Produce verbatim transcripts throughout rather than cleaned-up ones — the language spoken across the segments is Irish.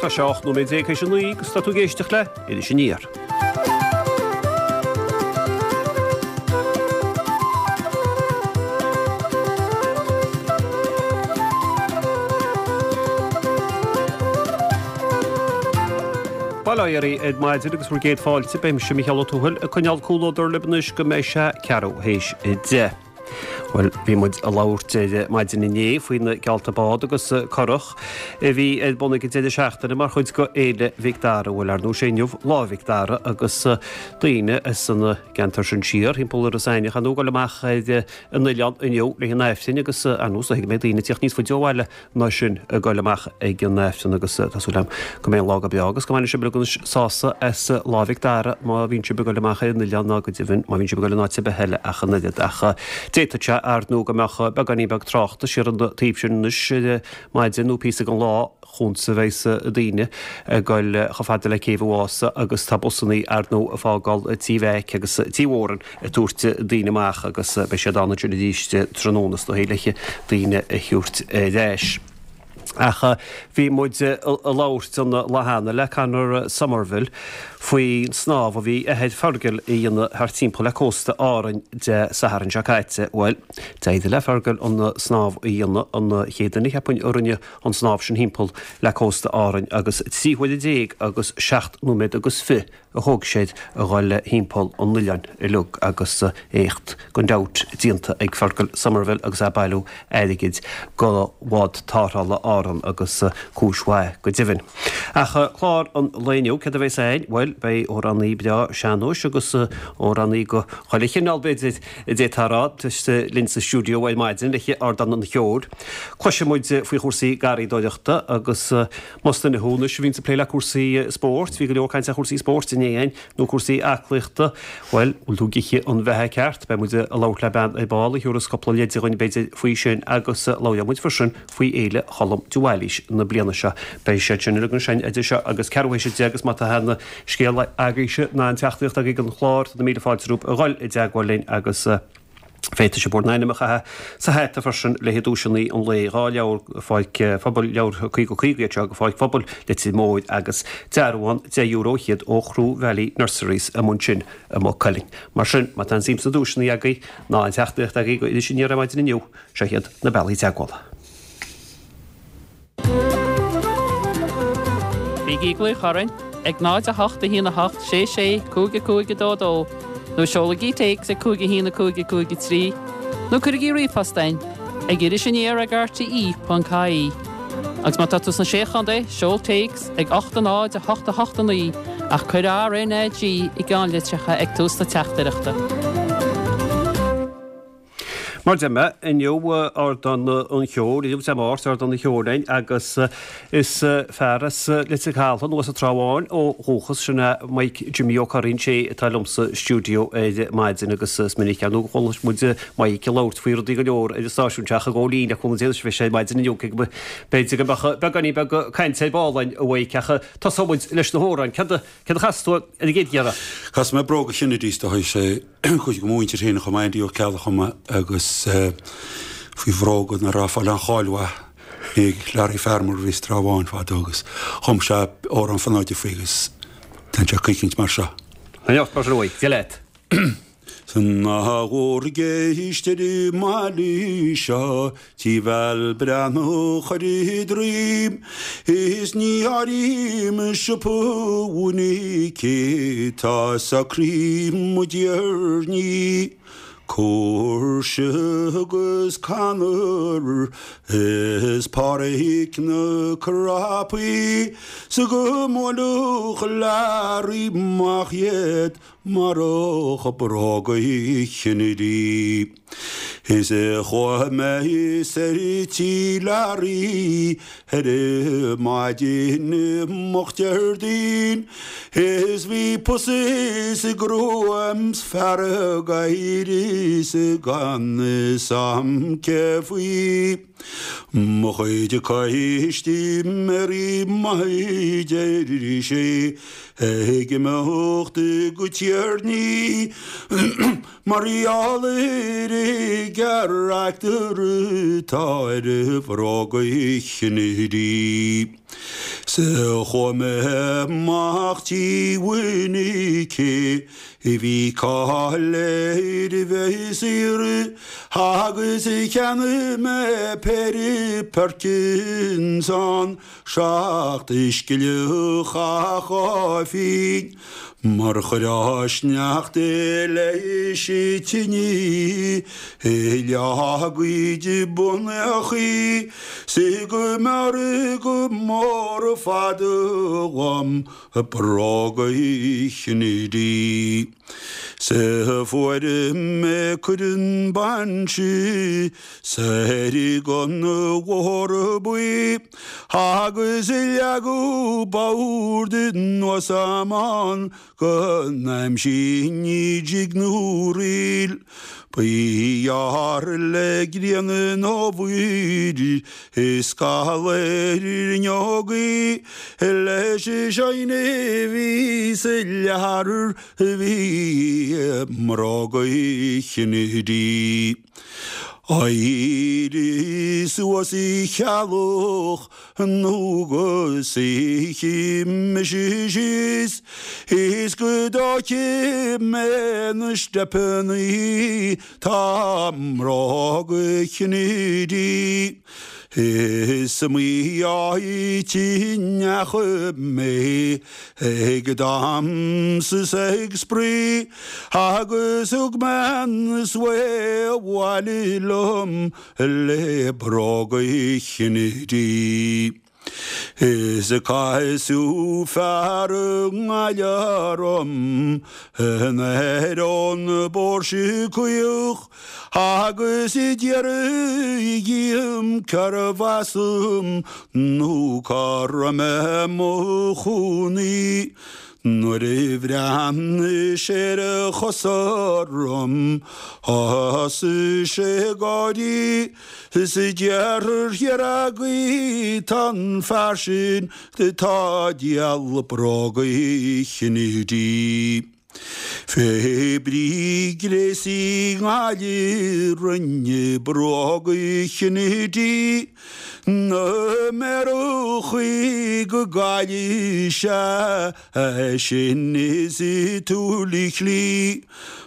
Tá sé ocht nóiméad déag théis a naoi agus tá tú ag éisteacht le Iris Aniar. Bail ó Dhia oraibh ar maidin agus bhur gcéad fáilte, beidh mise Micheál Ó Tuathail ag coinneáil comhluadar libh anois go mbeidh sé ceathrú théis a deich. Bhuel, bhí muid ag labhairt ar maidin inné faoi na geallta bád agus curach a bhí ar bun ag an deireadh seachtaine mar chuid de Fhéile Mhic Dara. Bhuel, ar ndóigh, sé inniu Lá Mhic Dara agus daoine as an gceantar sin siar thimpeall Iorras Aithneach ar ndóigh ag dul amach ar an oileán inniu le an Aifrinn agus ar ndóigh go mbeidh daoine ag tíocht níos faide ó bhaile ná sin ag dul amach ag an Aifreann agus tá súil agam go mbeidh an lá go breá agus go mbainfidh sibh uilig sásamh as Lá Mhic Dara má bhíonn sibh ag dul amach ar an oileán ná go deimhin má bhíonn sibh ag dul in áit ar bith eile ach an oiread ach d'fhéadfadh sé ar ndóigh go mbeadh beagáinín beag tráchta siar an taobh sin anois ar maidin nó píosa den lá chugatsa a bheas daoine ag dul chomh fada le Céibh an Mhása agus tá busannaí ar ndóigh ag fágáil Tí Mheaic agus Tí Mhóran ag tabhairt daoine amach agus beidh siad ann ansin arís tráthnóna is dóigh le daoine a thabhairt ar ais. Ach bhí muid ag labhairt an lá cheana le Conor Somerville faoin snámh a bhí athair Fergal a dhéanamh thart timpeall le cósta Árainn Dé Sathairn seo caite. Bhuel, d'éirigh le Fergal an snámh a dhéanamh, an chéad duine cheapfainn a rinne an snámh sin thimpeall le cósta Árainn agus trí huaire déag agus seacht nóiméad agus fiche a thóg sé a dhul thimpeall an oileáin uilig agus éacht gan dabht déanta ag Fergal Somerville agus é ag bailiú airgid go bhád tarrthála Árann agus cúis mhaith go deimhin. Ach clár an lae inniu, céard a bheas ann? Bhuel, beidh amhránaí breá sean-nóis agus amhránaí go chuile chineál b'fhéidir a d'fhéadfá a rá linn sa stiúideo ar maidin le Ardán an Cheoil. Cloisfidh muid faoi chúrsaí garraíodóireachta agus más duine thú anois a bhíonns ag plé le cúrsaí spóirt, bhí go leor cainte ar chúrsaí spóirt inné againn, nó cúrsaí aclaíochta, bhuel, bhfuil tú ag ithe an bheatha ceart? Beidh muid ag labhairt le bean ar ball a thiúrfas cúpla leide dhuinn b'fhéidir faoi sin agus labhróidh muid freisin faoi Fhéile Cholm de Bhailís na bliana seo. Beidh siad sin uilig ansin idir seo agus ceathrú théis a deich agus má tá aon scéal agaibhse ná aon teachtaireacht agaibh don chlár, tá na míle fáilte romhaibh a dhul i dteagmháil linn agus Féadfaidh sibh bhur n-ainm a chaitheamh sa hata freisin le haghaidh duaiseanna an lae, dhá leabhar Pháirc Phobail, leabhair caoga caoga iad seo go Pháirc Phobail Leitir Móir agus dearbhán deich euro fhichead ó Chroe Valley Nurseries amuigh ansin i Maigh Cuilinn. Mar sin, má tá aon suim sna duaiseanna agaibh ná aon teachtaireacht agaibh go Iris Aniar ar maidin inniu, seo iad na bealaí teagmhála. Bígí ag glaoch orainn ag náid a hocht a haon a hocht sé sé cúig a cúig a dó dó nó seolaigí téacs ag cúig a haon a cúig a cúig a trí nó cuirigí ríomhphost chugainn ag iris aniar ag R T E ponc I E. Agus má tá tú sna Sé Chontae, seol téacs ag ocht a náid a hocht a hocht a naoi ach cuir R N A G i gceannlitreacha ag tús na teachtaireachta. Mar deir mé, inniu Ardán an Cheoil, inniu Dé Máirt, Ardán an Cheoil againn agus is fear as Leitir Caltha nó as an Trá Bháin ó dhúchas, sin é Mike Jimmy Ó Curraoin, sé atá liom sa stiúideo ar maidin agus is minic ar ndóigh go chuala muid Mike ag labhairt faoi rudaí go leor ar an stáisiún seo ach i gcónaí le cúnamh Dé anois bheidh sé ar maidin inniu cé go b'fhéidir go mbeadh beagáinín beag cainte ar ball againn a Mhaidhc ach tosóidh muid leis na hamhráin. Céard a chas tú ar an gcéad iarraidh? Chas mé Bróga Kennedys do sé cuid de mo mhuintir féin a chum Andy Ó Ceallaigh a chum agus faoi bhróga nach raibh ag fáil aon cháil mhaith ag Larry Farmer a bhí sa Trá Bháin fadó agus chum sé amhrán fonóide faoi agus téann sé coicint mar seo. An-neart mar sin uaidh, Dia leat. Ná bhur gceist ar an mbaile seo Tí Bhéal Breathnach ar a droim Is ní áirím siopa Mhonique Tá socraithe mo dtiarnaí Cóirse agus Conor Is Páraic na Crapaí 'S go mbuailfeadh Larry amach iad Marach bróga Kennedy. Is chuaigh mé soir tí Larry ar maidin moch Déardaoin is bhí pus is gruaim 's fearg air is gan fhios a'm cé faoi. Mo chuid ceistiméirí maith deir sé ag imeacht go Tierney mar gheall ar an gcarachtar atá ar bhróga Kennedy. 'S chuaigh mé amach tí Mhinicí bhí cáil air a bheith saor agus cheannaigh mé péire Perkins ann seacht scilleach a dhá phingin mar chuirfeadh sneachta leis an tine leath a gcuid bonnachaí 's go mb'fhearr go mór ar fad dhom bróga Chinneide. 'S fuair mé cuireadh bainse soir gon Bhóthar Buí agus leagadh bord anuas ann go n-aimseoinn jig nó ríl. Ba ghearr le grian an fhómhair is scamall ar fhuinneogaí leis an shine a bhí sa leabhar a bhí i mbróga Chinneide. Éirigh suas a cheallach nó go suífidh mise síos is go dtógfaidh mé na steipeannaí tá i mbróga Chinneide. Is iomaí áit a ndeachaigh mé ag damhsa is ag spraoi agus thug mé an svae abhaile liom le bróga Chinneide. Is casadh fear i nGaillimh orm anoir ón bPóirse Caoch agus d'fhiafraigh dhíom cérbh as dom nó cá raibh mé i mo chónaí. Nuair a bhreathnaigh sé ar a chosa orm thosaigh sé ag gáirí is d'fhiafraigh thiar agaibh tá an fear sin atá ag díol bróga Chinneide. Fé brí gréasaí i nGaillimh rinne bróga Chinneide na méarachaí go gcaillfidh sé sin is tuilleadh slí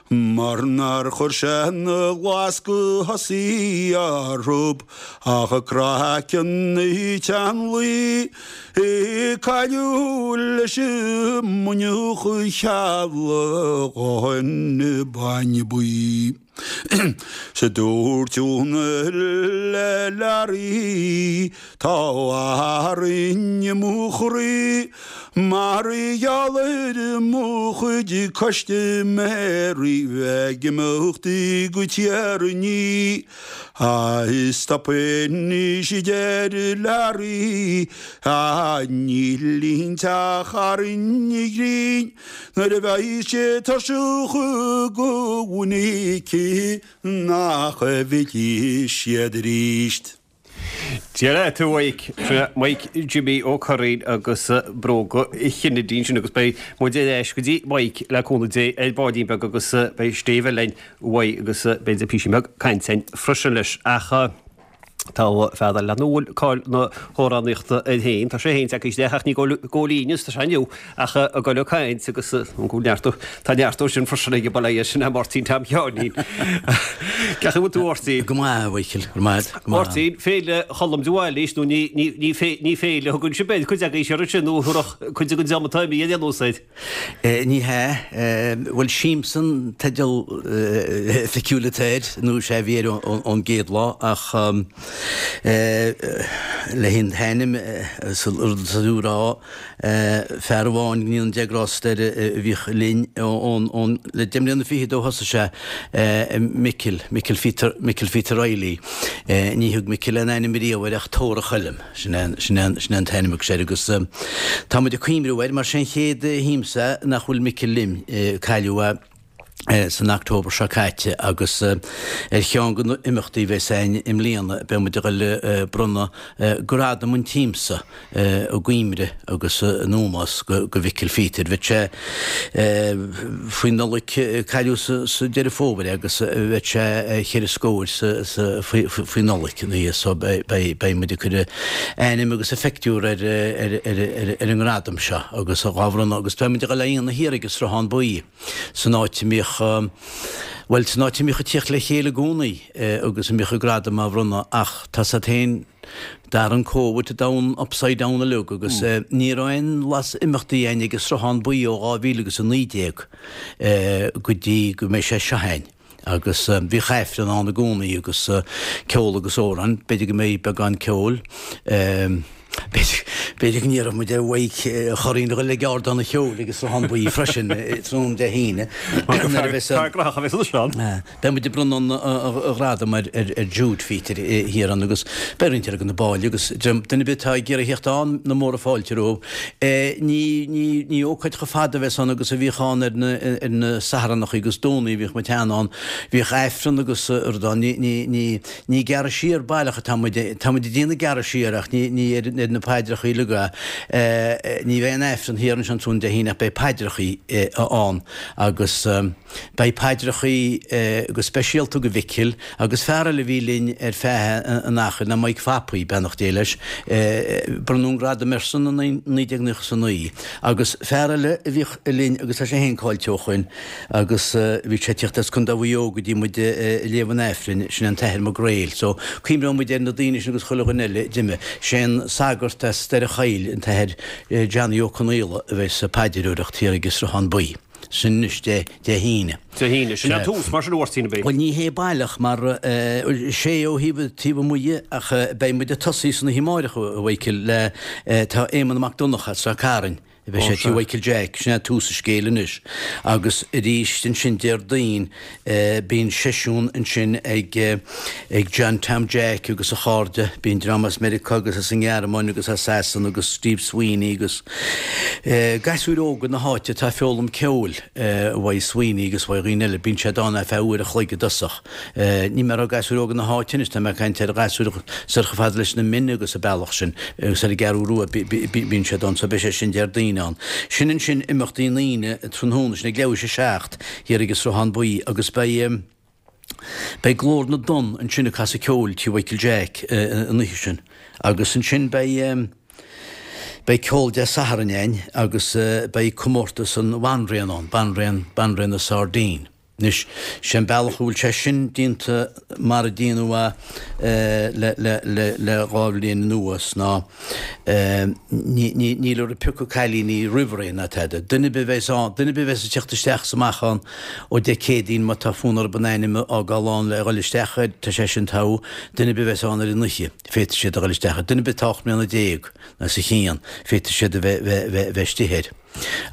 mar nár chuir sé na lasca thosaigh orthu ach craiceann na teannlaí cailleadh leis an mbuinneach cheallacháin bainne buí. 'S dúirt Úna le Learaí tá Árainn i mo chroí mar gheall ar mo chuid custaiméirí bheith ag imeacht go Tír an Fhia. Stop anois a deir Learaí níl aon teach thar an ghrinn nuair a bheidh sé tuirseach go bhfeicfidh nach bhfillfidh siad arís. Dia leat a Mhaidhc, sin Maidhc Jimmy Ó Curraoin agus Bróga Chinneide ansin agus beidh muid ar ais go dtí Maidhc le cúnamh Dé ar baillín beag agus beidh stéibh linn uaidh agus b'fhéidir píosa beag cainte againn freisin leis ach Tá fear eile a bhfuil cáil na hamhránaíochta air féin. Tá sé féin tagtha isteach ach ní go líne tá sé inniu ach ag dul ag caint agus an go neart tá neart sin freisin ag baile sin é Máirtín Tom Sheáinín. Cén chaoi a bhfuil tú a Mháirtín? Go maith a Mhichíl, go maith. Máirtín, Féile Cholm de Bhailís nó ní féile a thugann sibh air, cuid agaibh ar sin nó thabharfadh cuid den dream atá imithe ar aon nós air. Ní hea. Bhuel Siamsa an teideal oifigiúil atá air, nó sé a bhí air ón gcéad lá, ach le haon t-ainm is rud is a rá, fear amháin, go ndéana Dia grásta air, a bhíodh linn ón, le deich mbliana fichead ó thosaigh sé, Micil, Micil Phíotair, Micil Phíotair Reilly. Ní thug Micil aon ainm riamh air ach Tóra Choilm. Sin é an t-ainm a thug sé air agus tá muid ag cuimhniú air mar sé an chéad shiamsa nach bhfuil Micil linn. Cailleadh é San October seo caite agus ar cheann de na imeachtaí a bheas againn i mbliana beidh muid ag dul ag bronnadh Gradam an tSiamsa i gcuimhne agus in ómós go Mhicil Phíotair. Bheadh sé faoi Nollaig, cailleadh sa Deireadh Fómhair é agus bheadh sé cheithre scór faoi Nollaig ina dhiaidh so beidh muid ag cur a ainm agus a phictiúr ar ar an ngradam seo agus dhá bhronnadh agus beidh muid ag dul á dhéanamh thiar ag an Sruthán Buí. San áit a mbíodh, bhuel, san áit a mbíodh ag tíocht le chéile i gcónaí agus a mbíodh an gradam á bhronnadh ach tá 's a't féin, d'athraigh an Covid an domhan upside down uilig agus ní raibh aon bhlas imeachtaí a'inn ag an Sruthán Buí ó dhá mhíle agus a naoi déag go dtí go mbeidh sé seo a'inn. Agus bhíodh Aifreann ann i gcónaí agus ceol agus amhráin, b'fhéidir go mbeidh beagán ceoil. B'fhéidir go n-iarrfaidh muid ar Mhaidhc Churraoin a dhul ag ardán an cheoil ag an Sruthán Buí freisin tráthnóna Dé hAoine. Fear gnóthach a bheas ansin. Beidh muid ag bronnadh an ghradaim ar Jude Phíotair thiar ann agus beidh roinnt eile de na baill agus duine ar bith atá ag iarraidh theacht ann na móra fáilte rompu. Ní ní ní ócáid chomh fada a bheas ann agus a bhíodh ann ar na ar na Satharnachaí agus Domhnaí a bhíodh muid cheana ann. Bhíodh Aifreann agus rud ann. Ní ní ní Ní gearradh siar baileach atá muid, tá muid ag déanamh gearradh siar ach ní, ní ar, ar na paidreachaí uilig é. Ní bheidh aon Aifreann thiar ansin tráthnóna Dé hAoine ach beidh paidreachaí ann agus beidh paidreachaí go speisialta go Mhicil agus fear eile a bhí linn ar feadh an achair ná Mike Phapaí, beannacht Dé leis, bronnadh an gradam airsean i naoi déag nócha is a naoi agus fear eile a bhíodh linn agus tá sé féin caillte ó shoin, Agus bhí sé ag tíocht as Contae Mhaigh Eo go dtí muid ag léamh an Aifrinn, sin an tAthair Mac Gréil. So, cuimhneoidh muid ar na daoine sin agus chuile dhuine eile a d'imigh. Sé an sagart as Doire Choill, an tAthair Johnny Ó Conaola, a bheas ag paidreoireacht thiar ag an Sruthán Buí. Sin anois Dé, Dé hAoine. Dé hAoine. Sin an tús, mar sin, a Mháirtín, ab é? Bhuel, ní hé baileach, mar sé ó thaobh, taobh amuigh dhe, ach beidh muid ag tosaí san oíche amáireach, a Mhichíl, le, tá Éamonn Mac Donncha as Ráth Cairn, Beidh sé tí Mhichael Jack, sin é tús an scéil anois. Agus arís ansin Déardaoin bíonn seisiún ansin ag ag John Tom Jack agus a chairde, bíonn dream as Meiriceá agus as an nGearmáin agus as Sasana agus Steve Sweeney agus gasúir óga na háite atá ag foghlaim ceoil uaidh Sweeney agus uaidh dhaoine eile, bíonn siad ann ar feadh uair a chloig i dtosach. Ní mé ag rá gasúir óga na háite anois, tá mé ag caint ar ghasúir soir chomh fada leis na Mine agus an bealach sin agus ar an gCeathrú Rua, bíonn siad ann, so beidh sé sin Déardaoin ann. Sin ansin imeachtaí an Aoine tráthnóna, sin ag leathuair théis a seacht thiar ag an Sruthán Buí agus beidh, beidh Glór na dTonn ansin ag casadh ceoil tí Mhichael Jack an oíche sin agus ansin beidh, beidh ceol Dé Sathairn ann agus beidh comórtas an Bhanríon ann, Banríon, Banríon na Sairdín. Anois, sé an bealach a bhfuil sé sin déanta mar a déanadh é le le dhá bhliain anuas ná níl orthu piocadh cailíní roimh ré ná tada. Duine ar bith a bheas ann, duine ar bith a bheas ag teacht isteach is amach ann ó Dé Céadaoin má tá fonn orthu a n-ainm a fhágáil ann le dhul isteach air, tá sé sin togha. Duine ar bith a bheas ann ar an oíche, féadfaidh siad a dhul isteach air. Duine ar bith atá ocht mbliana déag nó os a chionn, féadfaidh siad a bheith bheith istigh air.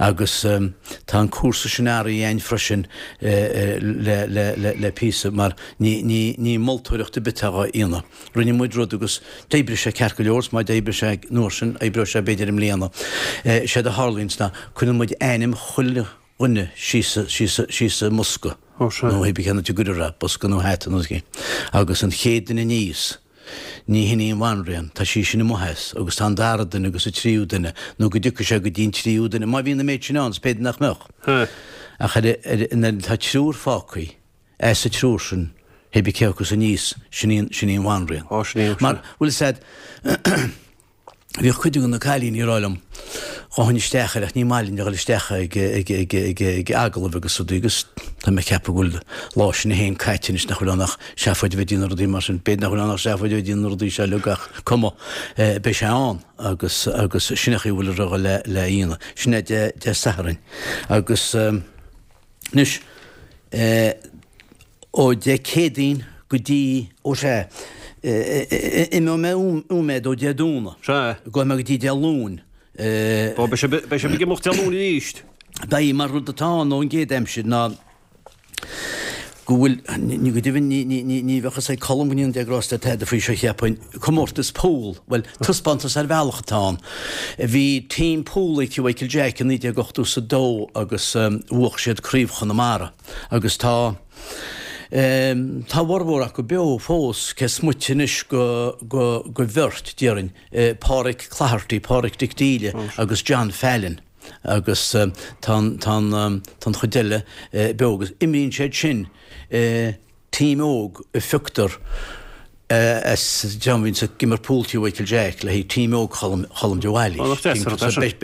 Agus tá an cúrsa sin athraithe againn freisin le píosa mar ní moltóireacht ar bith atá á dhéanamh. Rinne muid rud agus d'oibrigh sé ceart go leor, is má d'oibrigh sé an uair sin, oibreoidh sé b'fhéidir i mbliana. Séard a tharlaíonns ná cuireann muid ainm chuile dhuine síos síos i mbosca nó hé bí cén áit a gcuirfear é, bosca nó hata nó agus an chéad duine aníos, Ní hin í an bhanríon, tá sí sin amuigh as, agus tá an dara duine agus an tríú duine, nó go dtiocfaidh sé go dtí an tríú duine, má bhíonn an méid sin ann, is b'fhéidir nach mbeadh. Ach ar, ar, nuair atá triúr fágtha, as an triúr sin, hé bí cé acu aníos, sin í an, sin í an bhanríon. Ó, sin í an. Mar, bhfuil 'fhios a'd, Bhíodh cuid de na cailíní ag rá liom, ghabhfainn isteach air ach ní maith linn a dhul isteach ag agallaimh agus rudaí agus tá mé ag ceapadh go bhfuil lá sin féin caite anois nach bhfuil ann ach seafóid a bheith ag déanamh rudaí mar sin. B'fhéidir nach bhfuil ann ach seafóid a bheith ag déanamh na rudaí seo uilig ach cuma, beidh sé ann agus agus sin é an chaoi a bhfuil a dhul le le dhéanamh. Sin é Dé Dé Sathairn agus anois ó Dé Céadaoin go dtí, ó sea, imeoidh mé uaim ó Dé Domhnaigh. Sea. Gabhfaidh mé go dtí Dé Luain. Ó, beidh sibh, beidh sibh ag imeacht Dé Luain arís. Beidh, mar rud atá ann ón gcéad aimsir ná go bhfuil, ní go deimhin ní ní ní ní bheadh fhios ag Colm go ndéanann Dé grásta tada faoi seo cheapfainn, comórtas pool, bhuel, taispeántas ar bhealach atá ann. Bhí team pool ag Tigh Mhichael Jack i naoi déag ochtó is a dó agus bhuach siad Craobh Chonamara agus tá tá a bhformhór acu beo fós, cé is moite anois go go go bheirt, déarfainn, Páraic Cloherty, Páraic Dick Deely agus John Fallon. Agus tá an, tá an, tá an chuid eile beo agus imríonn siad sin team óg a phioctar as dream a bhíonns ag imirt pool Tigh Mhichael Jack le haghaidh team óg Cholm, Cholm de Bhailís.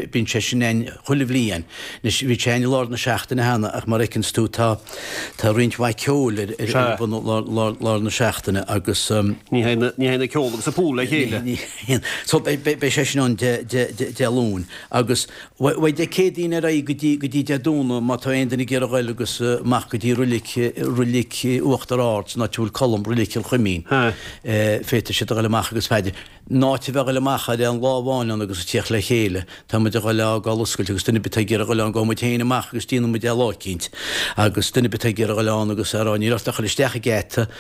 Bíonn sé sin ann chuile bhliain. Anois bhí sé ann i lár na seachtaine cheana ach mar a fheiceanns tú tá, tá roinnt mhaith ceoil ar, ar, ar bun lár, lár, lár na seachtaine agus. Ní théann, ní théann an ceol agus an pool le chéile. Ní théann. So beidh, beidh sé sin ann Dé, Dé, Dé Luain agus Uaidh Dé Céadaoin ar aghaidh go dtí go dtí Dé Domhnaigh má tá aon duine ag iarraidh ghoil agus amach go dtí roilig roilig Uachtar Ard san áit a bhfuil Colm, roilig Chill Chuimín. Féadfaidh siad a ghoil amach agus b'fhéidir in áit a bheith a ghoil amach ar aon lá amháin ann agus ag tíocht le chéile tá muid a ghoil a fhágáil oscailte agus duine ar bith atá ag iarraidh ghoil ann gabhfaidh muid féin amach agus déanfaidh muid é lá eicínt agus duine ar bith atá ag iarraidh ghoil ann agus a rá níl ort ach ghoil isteach an geata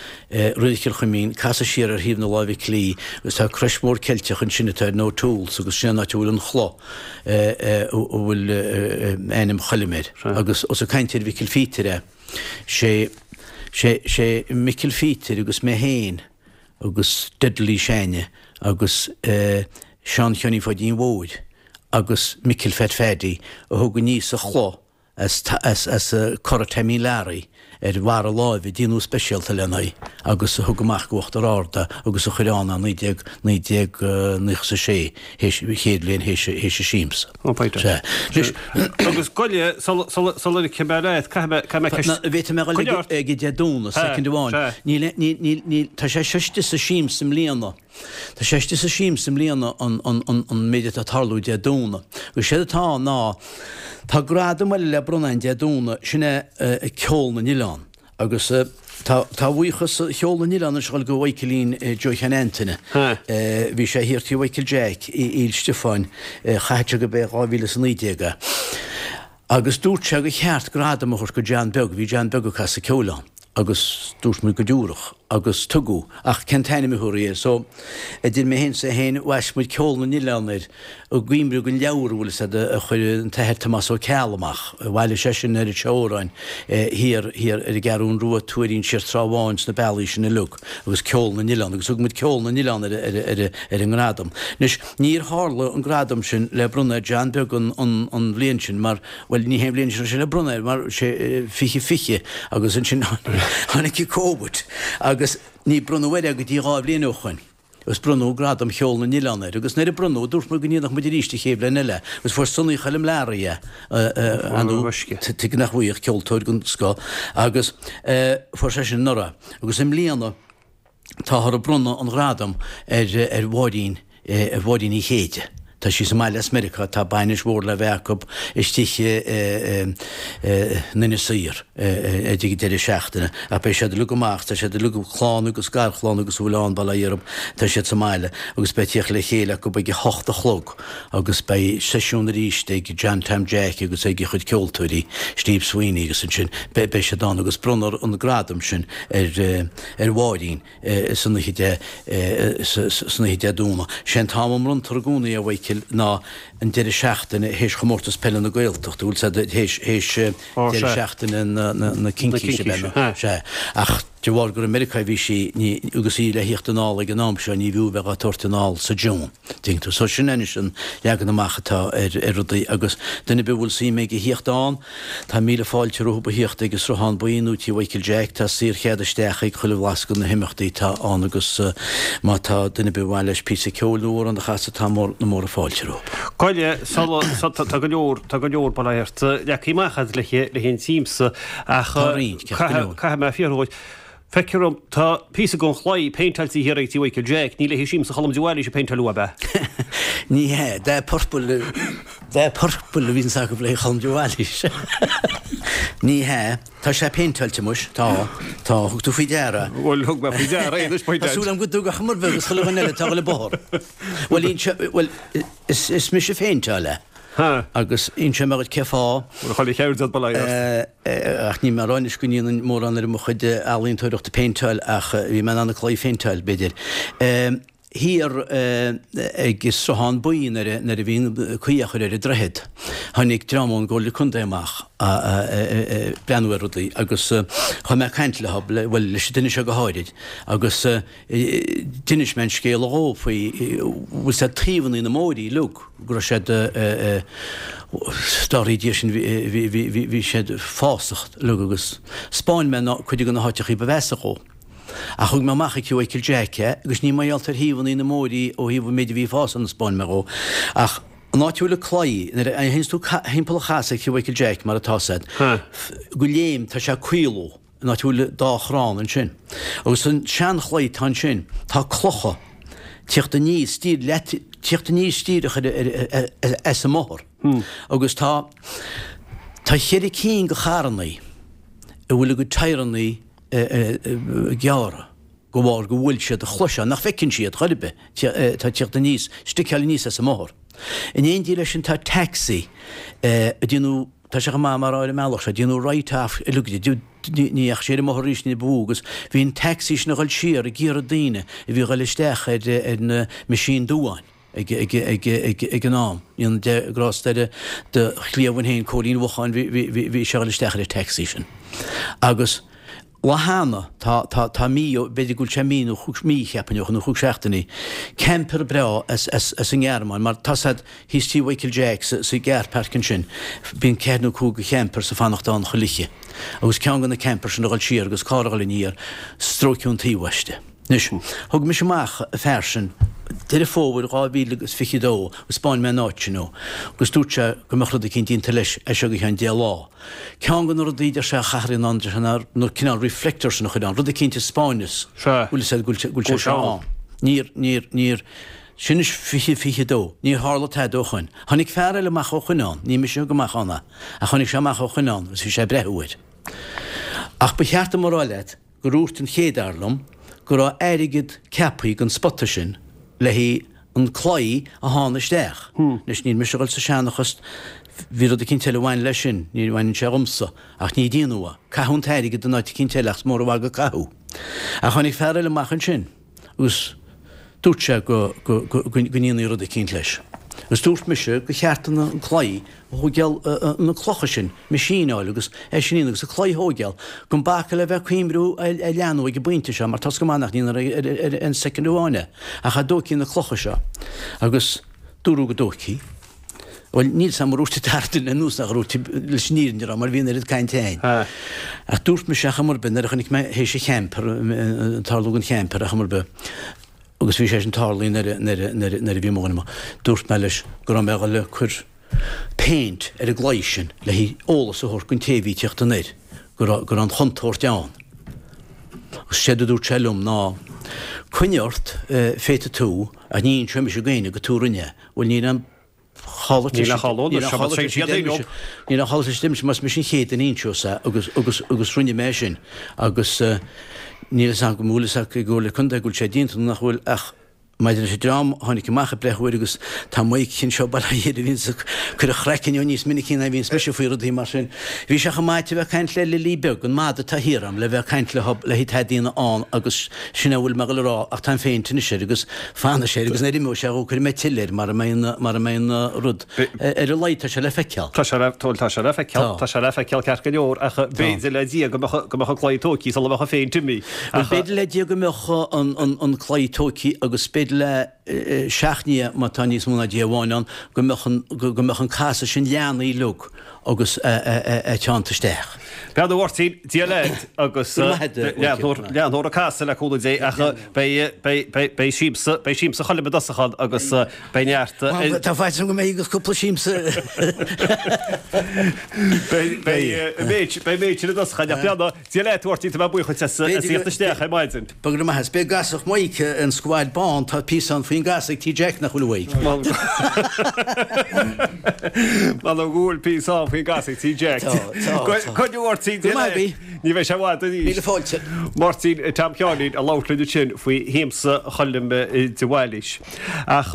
roilig Chill Chuimín casadh siar ar thaobh na láimhe clí agus tá crois mhór Ceilteach ansin atá ar O'Toole's agus sin an áit a bhfuil an chloch a bhfuil ainm Choilm air. Agus os ag caint ar Mhicil Phíotair é, sé, sé, sé Micil Phíotair agus mé féin agus Dudley Seánie agus Seán Sheáinín Pháidín Mhóir agus Micil Phat Phaddy a thug aníos an chloch as as Cora Taimín Learaí ar bharra láimhe, déanadh speisialta lena aghaidh agus a thug amach go Uachtar Ard é agus a chuir ann é naoi déag naoi déag naocha is a sé, théis chéad bhliain théis théis an siamsa. Ó, Peter. Sea. Anois. Agus goile, sula sula sula ligfidh mé leat, caithfidh mé caithfidh mé ceist. Na, bhféadfaidh mé a dhul ag ag Dé Domhnaigh, soicind amháin. Sea, sea. Níl níl níl níl tá sé seo istigh sa siamsa i mbliana. Tá sé istigh sa siamsa i mbliana an an méid atá ag tarlú Dé Domhnaigh. Agus séard atá ann ná, tá gradam eile le bronnadh ann Dé Domhnaigh, sin é Ceol na nOileán. Agus tá tá buíochas Cheol na nOileán anois ag dul go Mhichaelín Joe Sheáin Antaine. Bhí sé thiar Tigh Mhichael Jack i Íl Stiofáin, chaithfeadh sé gurb é dhá mhíle is a naoi déag é. Agus dúirt sé gur cheart gradam a thabhairt go John Beag, bhí John Beag ag casadh ceoil ann agus dúirt muid go dtabharfadh agus tugadh, ach cén t-ainm a thabharfaí air? So, idir mé féin 's é féin, bhaist muid Ceol na nOileán air i gcuimhne den leabhar a bhfuil fhios a'd a chuir an tAthair Tomás Ó Ceallaigh amach, bhailigh seisean oiread seo amhráin thiar, thiar ar an gCeathrún Rua, Tuairín, siar Trá Bháin, sna bealaí sin uilig agus Ceol na nOileán agus thug muid Ceol na nOileán ar, ar, ar, ar an ngradam. Anois, níor tharla an gradam sin le bronnadh ar John Beag an, an, an bhliain sin mar, bhuel, ní hé an bhliain sin a raibh sé le bronnadh air mar sé fiche fiche agus ansin tháinig an Covid agus ní bronnadh air é go dtí dhá bhliain ó shoin agus bronnadh gradam Cheol na nOileán air agus nuair a bronnadh dúirt muid go ndéanfadh muid arís an chéad bhliain eile agus fuair Sonny Choilm Learaí é, ar ndóigh, tuige nach bhfaigheadh, ceoltóir den scoth agus fuair sé sin anuraidh agus i mbliana Táthar ag bronnadh an ghradaim ar Mháirín, ar Mháirín Uí Chéide. Tá sí sa mbaile as Meiriceá, tá bainis mhór le bheith acu istigh in Inis Oírr ag an deireadh seachtaine. Ach beidh siad uilig amach, tá siad uilig, clann agus garchlann agus a bhfuil ann, bail ó Dhia orthu, tá siad sa mbaile agus beidh tíocht le chéile acu ag a hocht a chlog agus beidh seisiún arís ag John Tom Jack agus ag a chuid ceoltóirí, Steve Sweeney agus ansin beidh siad ann agus bronnfar an gradam sin ar ar Mháirín san oíche Dé san oíche Dé Domhnaigh. Sé an t-am a mbronntar i gcónaí a Mhichíl ná an deireadh seachtaine théis chomórtas peile na Gaeltachta, bhfuil 's a'd théis théis deireadh seachtaine na na na Cincíse ab ea nó sea. Ach de bharr gur i Meiriceá a bhí sí ní agus í le thíocht anall ag an am seo ní bhfiú bheith á tabhairt anall sa June. Tuigeann tú. So sin anois an leagan amach atá ar ar rudaí agus duine ar bith a bhfuil suim aige a thíocht ann, tá míle fáilte rompu a thíocht ag an Sruthán Buí nó Tí Mhichael Jack, tá saorchead isteach ag chuile bhlas de na himeachtaí atá ann agus má tá duine ar bith ar mhaith leis píosa ceoil nó amhrán a chasadh tá mór na móra fáilte rompu. Goile, sula, tá go leor, tá go leor bail ó Dhia ort, leagtha amach agat le haghaidh an tsiamsa ach Tá roinnt, ceart go leor. caithfidh mé fiafraí dhuit, Feictear dom, tá píosa den chlaí péinteáilte thiar ag Tí Mhichael Jack, ní le haghaidh siamsa Cholm de Bhailís a péinteáileadh ab ea? Ní hea, dath purple, dath purple a bhíonns acu le haghaidh Cholm de Bhailís. Ní hea, tá sé péinteáilte muis, tá, tá, thug tú faoi deara. Bhuel, thug mé faoi deara é anois, Tá súil agam go dtug ach mar bheag is chuile dhuine eile atá ag dul an bóthar. Bhuel, bhuel, is, is mise a phéinteáil é. Agus inseoidh mé dhuit cé fáth. Bhfuil chuile cheird a'd, bail ó Dhia ort. Ach níl mé ag rá anois go ndéanainn mórán ar mo chuid ealaíontóireachta péinteáil ach bhí mé in ann an claí a phéinteáil, b'fhéidir. Thiar ag Sruthán Buí nuair a bhí an caoi á chur ar an droichead, tháinig dream ón gComhairle Contae amach ag breathnú ar rudaí agus chuaigh mé ag caint leo, bhuel, leis an duine seo go háirid, agus d'inis mé an scéal dhó faoi, bhfuil 's a'd taobhanna na mbóithrí uilig, go raibh siad, dá Dia sin, bhí siad fásach uilig agus 'spáin mé cuid de na háiteachaí ba mheasa dhó. Ach thug mé amach ag Tigh Mhichael Jack é agus ní mar gheall ar thaobhanna na mbóithrí ó thaobh an méid a bhí ag fás ann a 'spáin mé dhó ach an áit a bhfuil an claí, nuair a théanns tú thimpeall an chasadh ag Tigh Mhichael Jack mar atá 's a'd, go léim tá sé ag caolú an áit a bhfuil dá chrann ansin. Agus an seanchlaí atá ansin, tá clocha tíocht aníos, tíocht aníos díreach as an mbóthar. Agus tá tá cheithre cinn de charrannaí a bhfuil a gcuid tyrannaí gearrtha de bharr go bhfuil siad an chloch seo, nach bhfeiceann siad chor ar bith, atá ag tíocht aníos, sticeáil aníos as an mbóthar. In éindí leis sin tá taxi ag déanamh, tá sé chomh maith mar ar an mbealach seo, ag déanamh write off uilig de, ní dheachaigh sé ar an mbóthar arís ní ba mhó agus bhí an taxi sin ag dhul siar ag iarraidh daoine a bhí ag dhul isteach ar na Meaisín Duáin ag an am. Ní an de ghrásta ar do chliamhain féin, Cóilín Mhocháin, bhí sé ag dhul isteach ar an taxi sin. Agus. Lá cheana, tá, tá, tá mí ó, b'fhéidir go bhfuil sé mí nó chúig, mí cheapfainn ó shin, nó chúig seachtainí, camper breá as, as, as an nGearmáin, mar tá 's a'd thíos tí Mhichael Jack sa, sa gcarrpháirc ansin, bíonn ceathair nó cúig de champers ag fanacht ann chuile oíche. Agus ceann de na campers sin a dhul siar agus carr a dhul aniar, stróiceadh an taobh aisti. Anois, thug mise amach an fear sin, Deireadh Fómhair dhá mhíle agus fiche a dó, agus 'spáin mé an áit sin dó, agus dúirt sé go mbeadh rud eicínt déanta leis as seo go ceann deich lá. Ceann de na rudaí, deir sé, a chaithfear a dhéanamh, deir sé, ná na cineál reflectors sin a chur ann, rud eicínt a 'spáineas go bhfuil sé, go bhfuil sé seo ann. Níor, níor, níor, sin anois fiche, fiche a dó, níor tharla tada ó shoin. Tháinig fear eile amach ó shoin ann, ní mise a thug amach ann é, ach tháinig sé amach ó shoin ann agus bhí sé ag breathú air. Ach ba cheart dom a rá leat gur dhúirt an chéad fhear liom go raibh airgead ceapthaí don spota sin le haghaidh an claí a shánadh isteach. Anois níl mise a dhul sa seanchas, bhí rud eicínt eile a bhain leis sin, ní bhaineann sé dhomsa, ach ní déanadh é. Caitheadh an t-airgead in áit eicínt eile ach is mór an mhagadh a caitheadh. Ach tháinig fear eile amach ansin agus dúirt sé go, go, go, go ndéanfaí rud eicínt leis. Agus dúirt mise gur cheart an claí a thóigeáil, na clocha sin, meaisíneáil agus é sin a dhéanamh agus an claí a thóigeáil, gan bacadh le bheith ag cuimriú a leathnú ag an bpointe seo mar tá's go maith nach ndéanfar ar aon soicind amháin é, ach dá dtóigfí na clocha seo. Agus dúradh go dtóigfí. Bhuel, níl 's a'm ar dhúirt an dara duine anuas nach dhúirt, leis an fhírinne a rá, mar bhí an oiread cainte a'inn. Ach dúirt mise ar chuma ar bith nuair a chonaic mé théis an champer, tarlú don champer ar chuma ar bith, agus bhí sé sin tarlaithe nuair a, nuair a, nuair a, nuair a bhí mo dhuine amuigh, dúirt mé leis go raibh mé a dhul a cur péint ar an gclaí sin le haghaidh eolas a thabhairt don té a bhí ag tíocht anoir go raibh, go raibh an chontúirt ann. Agus séard a dúirt sé liom ná, Coinnigh ort, féadfaidh tú, ach ní inseoidh mise d'éinne gur tú a rinne é. Bhuel, níl aon chall Níl aon chall ann, seo mar siad é leo. Níl aon chall leis, deir mise, más mise an chéad duine a inseos é agus, agus, agus rinne mé sin agus níl fhios agam an bhfuil fhios ag an gComhairle Contae go bhfuil sé déanta nó nach bhfuil ach maidir leis an dream a tháinig amach ag breathú air agus tá Maidhc anseo bail ó Dhia air a bhíonns ag cur a chraicinn ann níos minicí ná a bhíonns mise faoi rudaí mar sin. Bhí sé chomh maith a bheith ag caint le Lilí Beag, an madadh atá thiar a'm, le bheith ag caint le le haghaidh tada a dhéanamh ann agus sin é a bhfuil mé ag dul a rá ach tá an phéint anois air agus fanfaidh sé air agus nuair a imeoidh sé dhó cuirfidh mé tuilleadh air mara mbeidh an mara mbeidh an rud ar a laghad tá sé le feiceáil. Tá sé le bhuel tá sé le feiceáil, tá sé le feiceáil ceart go leor ach b'fhéidir le Dia go mbeadh go mbeadh an claí tóigthe sula mbeadh an phéint imithe. Bhuel b'fhéidir le Dia go mbeadh an an an claí tóigthe agus b'fhéidir le seacht nDia má tá níos mó ná Dia amháin ann go mbeadh an go mbeadh an casadh sin leathnaithe uilig agus é teannta isteach. Beannacht a Mháirtín, Dia leat agus leathnófar an casadh le cúnamh Dé ach beidh siamsa, beidh siamsa Choilm i dtosach ann agus beidh neart. Tá faitíos orm go mbeidh agus cúpla siamsa. Beidh méid sin i dtosach ann ach beannacht Dia leat a Mháirtín, tá mé buíoch duit as theacht isteach ar maidin. Go raibh maith agat. Beidh gasach Mhaidhc an scuad bán, tá píosa ann faoin gcasadh ag Tí Jack nach bhfuil uaidh. M'anam go bhfuil píosa ann faoin gcasadh ag Tí Jack. Tá, tá, tá. Coinneoidh Máirtín Go maith agaibh. Ní bheidh sé i bhfad arís. Míle fáilte. Máirtín Tom Sheáinín ag labhairt linn ansin faoi shiamsa Choilm de Bhailís. Ach.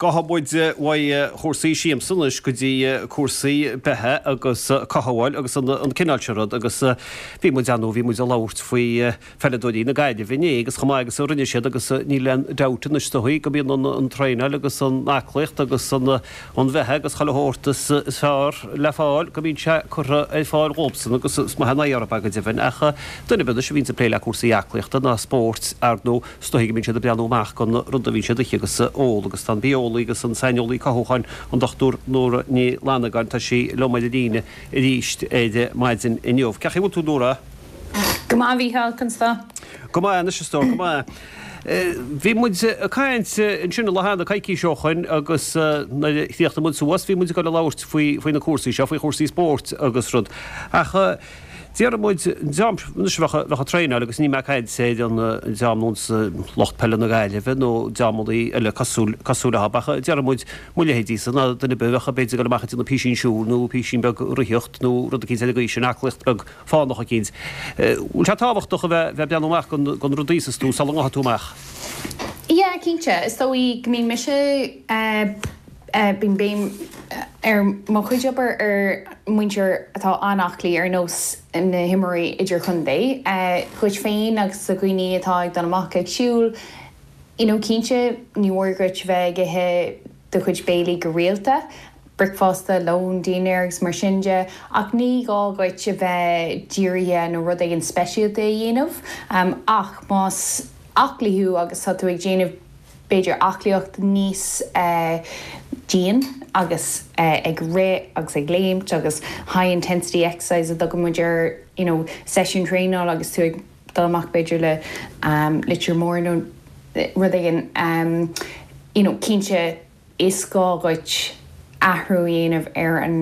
Gabhfaidh muid uaidh chúrsaí siamsa anois go dtí cúrsaí beatha agus cothabháil agus an cineál sin rud agus bhí muid ann bhí muid ag labhairt faoi pheileadóirí na Gaillimhe inné agus chomh maith agus a rinne siad agus níl aon dabht anois is dóigh go mbíonn an traenáil agus an aclaíocht agus an bheatha agus chuile shórt is fearr le fáil go mbíonn sé curtha ar fáil dhóibhsan agus is maith an aghaidh orthu go deimhin ach duine ar bith anois a bhíonns ag plé le cúrsaí aclaíochta ná spóirt ar ndóigh is dóigh go mbíonn siad ag breathnú amach don rud a bhíonn siad ag ithe agus ól agus tá an bitheolaí agus an saineolaí cothúcháin, an Dochtúir Nóra Ní Fhlannagáin, tá sí liom ar an líne arís ar maidin inniu. Cén chaoi a bhfuil tú, Nóra? Go maith, a Mhícheáil, conas tá? Go maith anois, a stór, go maith. Bhí muid ag caint ansin i Loch Eanna coicís ó shoin agus nuair a chríochnaigh muid suas bhí muid ag dul a labhairt faoi faoi na cúrsaí seo, faoi chúrsaí spóirt agus rud. Ach Déarfaidh muid, an dream anois a bheadh ag traenáil agus níl mé ag caint ar an dream nós lucht peile na Gaillimhe nó dreamannaí eile cosúil cosúil leo ach déarfaidh muid mo leithéidísa ná duine ar bith a bheadh b'fhéidir ag dul amach ag déanamh písín siúil nó písín beag ritheacht nó rud eicínt ar an gcaoi sin, aclaíocht beag fánach eicínt. Bhfuil sé tábhachtach a bheith bheith ag breathnú amach don don rud a íosas tú sula ngabhfaidh tú amach? Yeah, cinnte. Is dóigh go mbíonn mise eh. Bíonn béim ar mo chuid obair ar muintir atá an-aclaí ar nós na himreoirí idirchontae. Dhuit féin agus do dhaoine atá ag dul amach ag siúl, you know cinnte ní mór dhuit bheith ag ithe do chuid béilí go rialta, bricfeasta, lón, dinnéar agus mar sin de, ach ní gá dhuit a bheith dírithe nó rud éigin speisialta a dhéanamh. Ach más aclaí thú agus tá tú ag déanamh b'fhéidir aclaíocht níos dian agus ag rith agus ag léimt agus high intensity exercise a dtugann muid air you know seisiún traenála agus tú ag dul amach b'fhéidir le litir mór nó rud éigin you know cinnte is gá dhuit athrú a dhéanamh ar an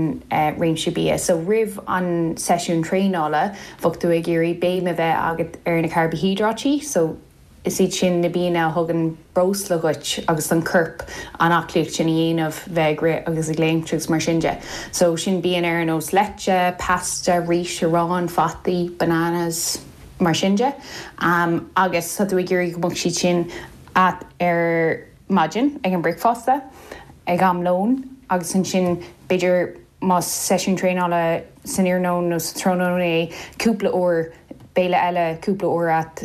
réimse bia. So roimh an seisiún traenála bheadh tú ag iarraidh béim a bheith agat ar na carbaihiodráití so Is iad sin na bianna a thugann breosla dhuit agus don chorp an aclaíocht sin a dhéanamh, bheith ag rith agus ag léimt agus mar sin de. So sin bianna ar nós leite, pasta, rís, arán, fataí, bananas, mar sin de. Agus tá tú ag iarraidh go mbeadh siad sin a't ar maidin ag an bricfeasta, ag am lóin agus ansin b'fhéidir más seisiún traenála san iarnóin nó sa tráthnóna é, cúpla uair béile eile cúpla uair a't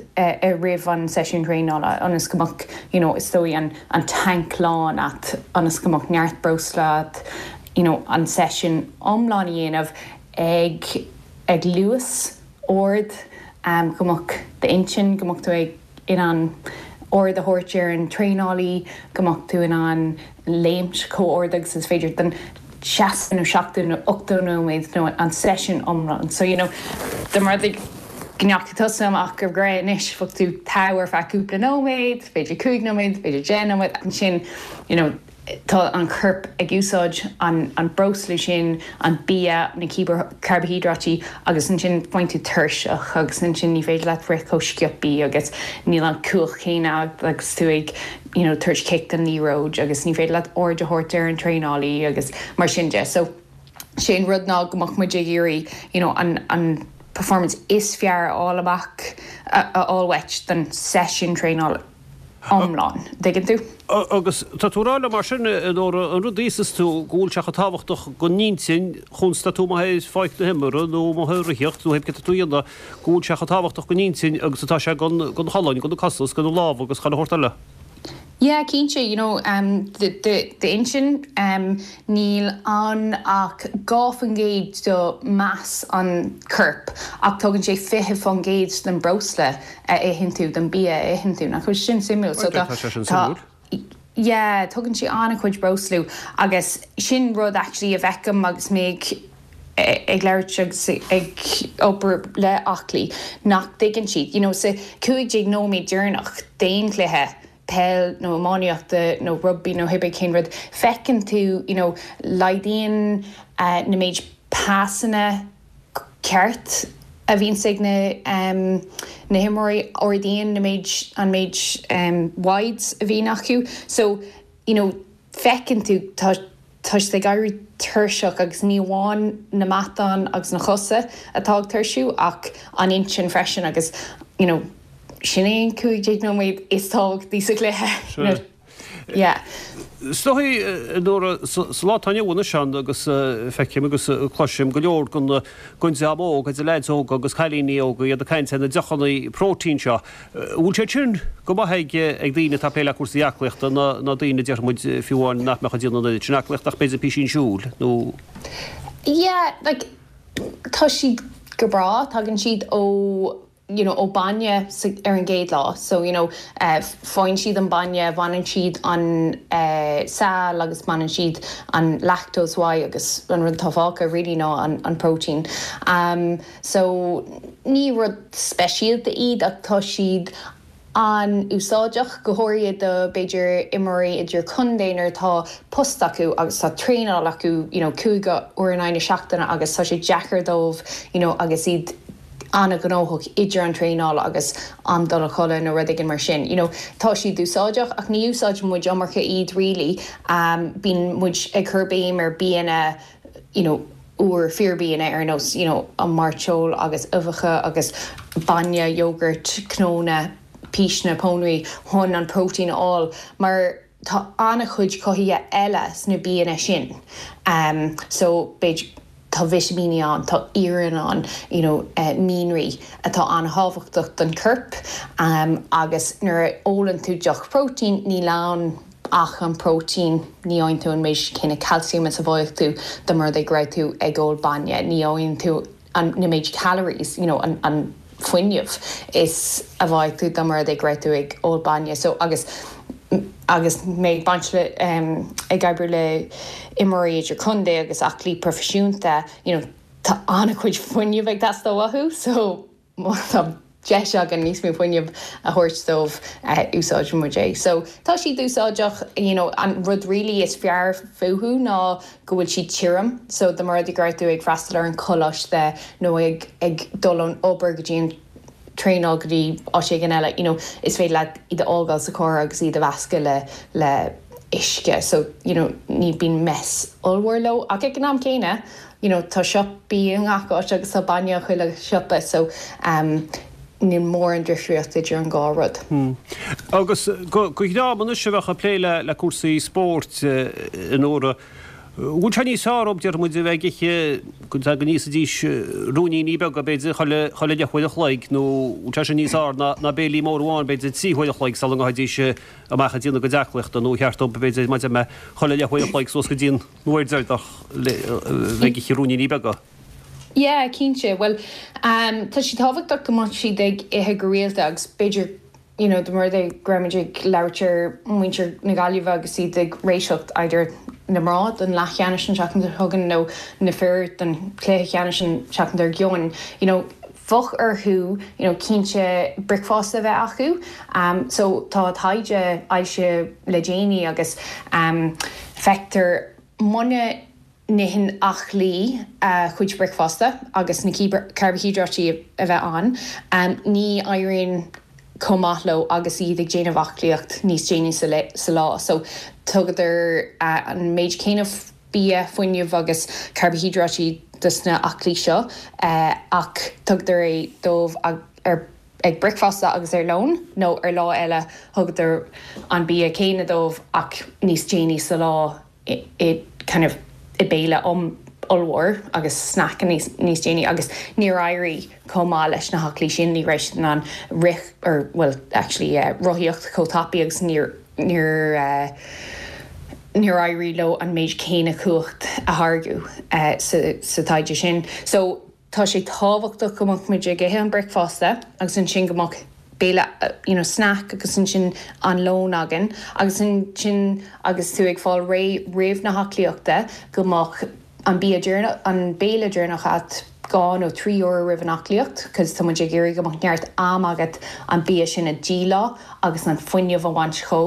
roimh an seisiún traenála ionas go mbeadh you know is dóigh an an tank lán a't ionas go mbeadh neart breosla a't you know an seisiún iomlán a dhéanamh ag ag luas ard go mbeadh d'intinn go mbeadh tú ag in ann aird a thabhairt ar an traenálaí, go mbeadh tú in ann léimt chomh ard agus is féidir don seasca nó seachtó nó ochtó nóiméad nó an seisiún iomlán. So, you know, dá mba rud é go ndeachaigh tusa amach ag rith anois, bheadh tú togha ar feadh cúpla nóiméad, b'fhéidir cúig nóiméad, b'fhéidir deich nóiméad, ansin, you know, tá an corp ag úsáid an breosla sin, an bia, na carbaihiodráití agus ansin faigheann tú tuirseach agus ansin ní féidir leat rith chomh sciobthaí agus níl an cumhacht chéanna agat agus tú ag you know tabhairt cic don liathróid agus ní féidir leat aird a thabhairt ar an traenálaí agus mar sin de. So sé an rud ná go mbeadh muid ag iarraidh you know an an performance is fearr a fháil amach a fháil uait don seisiún traenála. iomlán, dtuigeann tú? Agus tá tú ag rá liom mar sin, a Nóra, an rud a íosas tú, go bhfuil sé chomh tábhachtach don intinn chúns tá tú amuigh ar pháirc na himeartha nó amuigh ag ritheacht nó pé céard atá tú a dhéanamh, go bhfuil sé chomh tábhachtach don intinn agus atá sé don cholainn, do na cosa is do na lámha agus chuile shórt eile. Yeah, cinnte, you know, d'intinn, níl ann ach dhá faoin gcéad de mass an choirp ach tugann sé fiche faoin gcéad den breosla a itheann tú, den bia a itheann tú. Nach bhfuil sin suimiúil? So tá, Tá sé sin tá, suimiúil. yeah, tugann sé an-chuid breosla agus sin rud actually a bhfeicim agus mé ag ag labhairt agus ag obair le aclaí nach dtuigeann siad, you know, sa cúig déag nóiméad deireanach d'aon chluiche, peil nó iománaíochta nó rugbaí nó cibé cén rud, feiceann tú, you know, laghdaíonn na méid pasanna ceart a bhíonns ag na na himreoirí, ardaíonn na méid an méid wides a bhíonn acu. So, you know, feiceann tú tá tá siad ag éirí tuirseach agus ní amháin na matáin agus na cosa atá ag tuirsiú ach an intinn freisin agus, you know, sin é an cúig déag nóiméad is tábhachtaí sa chluiche. Sea. Yeah. Is dóigh, a Nóra, sa lá atá inniu ann anois agus feicim agus cloisim go leor den den dream óg, idir leaids óga agus cailíní óga, iad ag caint ar na deochanna próitéin seo. Bhfuil siad sin go maith ag ag daoine atá ag plé le cúrsaí aclaíochta nó nó daoine déarfaidh muid fiú amháin nach mbeadh ag déanamh an oiread sin aclaíochta ach b'fhéidir písín siúil nó. Yeah, like tá siad go breá, tagann siad ó you know, ó bainne sa, ar an gcéad lá. So, you know, uh, faigheann siad an bainne, baineann siad an uh, saill agus baineann siad an lactose uaidh agus an rud atá fágtha really ná an, an protein. Um, so ní rud speisialta iad ach tá siad an-úsáideach, go háirithe do b'fhéidir imreoirí idir contae nuair atá post acu agus tá traenáil acu you know, cúig uair in aghaidh na seachtaine agus tá sé deacair dóibh you know, agus iad an-ghnóthach idir an traenáil agus am dul a chodladh nó rud éigin mar sin. You know, tá siad úsáideach ach ní úsáideann muid iomarca iad really. Um, bíonn muid ag cur béim ar bianna you know, úr fíorbhianna ar nós you know, an mairteoil agus uibheacha agus bainne, yogurt, cnónna, píseanna, pónairí chun an protein a fháil mar tá an-chuid cothaithe eile sna bianna sin. Um, so b'fhéidir tá vitimíní ann, tá iarann ann, you know, uh, mianraí atá an-thábhachtach don corp um, agus nuair a ólann tú deoch protein níl ann ach an protein ní fhaigheann tú an méid céanna calcium is a bhfaigheadh tú dá mba rud é go raibh tú ag ól bainne, ní fhaigheann tú an na méid calories, you know, an, an fuinneamh is a bhfaigheadh tú dá mba rud é go raibh tú ag ól bainne. So agus agus mé ag baint le um, ag obair le imreoirí idir contae agus aclaí proifisiúnta, you know, tá an-chuid fuinneamh ag teastáil uathu, so má tá deis againn níos mó fuinneamh a thabhairt dóibh uh, úsáideann muid é. So tá siad úsáideach you know, an rud really is fearr fúthu ná go bhfuil siad tirim, so dá mba rud é go raibh tú ag freastal ar an choláiste nó ag, ag dul ón obair go dtí an traenáil go dtí áit éigin eile, you know, is féidir leat iad a fhágáil sa charr agus iad a mheascadh le le uisce, so you know, ní bíonn mess ollmhór leo ach ag an am céanna, you know, tá siopaí i ngach áit agus tá bainne chuile siopa, so um, níl mórán difríocht idir an dhá rud. Hmm. Agus go dream anois a bheadh ag plé le le cúrsaí spóirt a Nóra, bhfuil sé níos fearr dóibh deir muid a bheith ag ithe go go n-íosfaidís ruainníní beaga b'fhéidir chuile chuile leathuair a chloig nó bhfuil sé sin níos fearr ná ná béilí mór amháin b'fhéidir trí huair a chloig sula ngabhfaidís amach ag déanamh a gcuid aclaíochta nó cheart dóibh b'fhéidir maidir le chuile leathuair a chloig suas go dtí an uair deireanach le bheith ag ithe ruainníní beaga. Yeah, cinnte. Well, um, tá sé tábhachtach go mbeadh siad ag ithe go rialta agus b'fhéidir you know, dá mba rud é go raibh muid ag labhairt ar muintir na Gaillimhe agus iad ag réiteach idir na mná don leathcheannais an tseachtain seo chugainn nó na fir don chluiche ceannais an tseachtain dár gcionn. You know, bheadh orthu you know, cinnte bricfeasta a bheith acu. Um, so tá taighde foilsithe le déanaí agus um, feictear muna n-itheann aclaí a chuid bricfeasta agus na carbaihiodráití a bheith ann, um, ní éiríonn chomh maith leo agus iad ag déanamh aclaíocht níos déanaí sa, sa lá. So tugadar uh, an méid céanna bia fuinneamh agus carbaihiodráití dos na aclaí seo uh, ach tugadar é dóibh ar ag bricfeasta agus ar lón nó ar lá eile thugadar an bia céanna dóibh ach níos déanaí sa lá i, i kind of i béile um ollmhór agus snack níos níos déanaí agus níor éirigh chomh maith leis na haclaí sin ní raibh siad in ann rith or well actually uh, rothaíocht chomh tapaidh agus níor níor uh, níor éirigh leo an méid céanna cumhacht a tháirgeadh uh, sa, sa taighde sin. So tá sé tábhachtach go mbeadh muid ag ithe an bricfeasta agus ansin go mbeadh béile you know, snack agus ansin an lón againn agus ansin agus tú ag fáil réidh roimh na haclaíochta go mbeadh an bia an béile deireanach agat dhá nó trí uair roimh an aclaíocht, cos tá muid ag iarraidh go mbeadh neart am agat an bia sin a dhíleá agus an fuinneamh a bhaint dhó.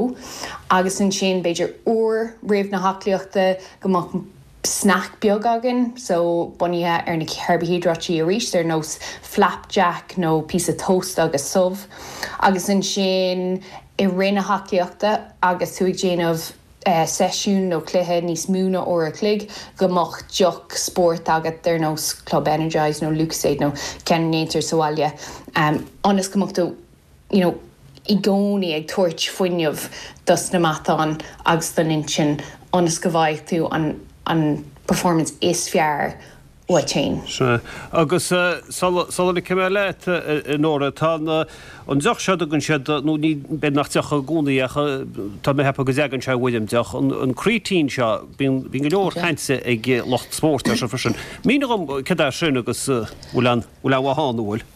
Agus ansin b'fhéidir uair roimh na haclaíochta go mbeadh snack beag againn, so bunaithe ar na carbaihiodráití arís ar nós flapjack nó píosa toast agus subh. Agus ansin i rith na haclaíochta agus tú ag déanamh uh, seisiún nó cluiche níos mó ná uair a chloig go mbeadh deoch spóirt agat ar nós Club Energize nó Lucozade nó ceann a dhéantar sa bhaile. Um, ionas go mbeadh tú you know, i gcónaí ag tabhairt fuinneamh dos na matáin agus don intinn ionas go bhfaighidh tú an an performance is fearr uait féin. Sea. Agus sula ligfidh mé leat, a Nóra, tá an deoch seo a dtugann siad, nó ní, b'fhéidir nach deoch i gcónaí ach tá mé ag ceapadh go dtagann sé i bhfoirm deoch, an creatine seo, bíonn go leor cainte ag lucht spóirt air seo freisin. Mínigh dhom cad é sin agus bhfuil aon mhaith ann, an bhfuil?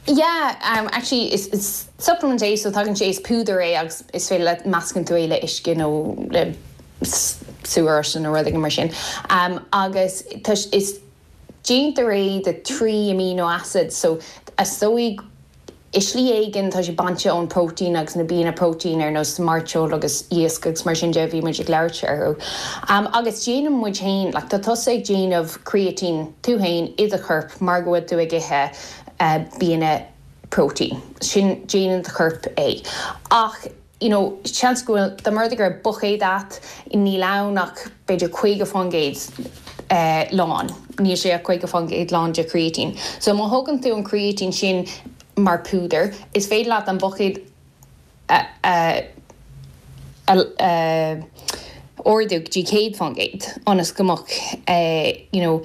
Yeah, um, actually is, is supplement é so tagann sé is púdar é agus is féidir leat meascann tú é le uisce nó le sú oráiste nó rud éigin mar sin. Um, agus tá is déantar é de trí amino acids so is dóigh i slí éigin tá sé bainte ón protein agus na bianna protein ar nós mairteoil agus iasc agus mar sin de bhí muid ag labhairt orthu. Um, agus déanann muid féin, like, tá tusa ag déanamh creatine tú féin i do chorp mar go bhfuil tú ag ithe uh, bianna protein. Sin déanann do chorp é. Ach you know, seans go bhfuil dá mba rud é go raibh buicéad agat níl ann ach b'fhéidir caoga faoin gcéad uh, lán. Níl sé ach caoga faoin gcéad lán de creatine. So má thugann tú an creatine sin mar púdar, is féidir leat an buicéad a, a, a, a ardú go dtí céad faoin gcéad ionas go mbeadh uh, you know,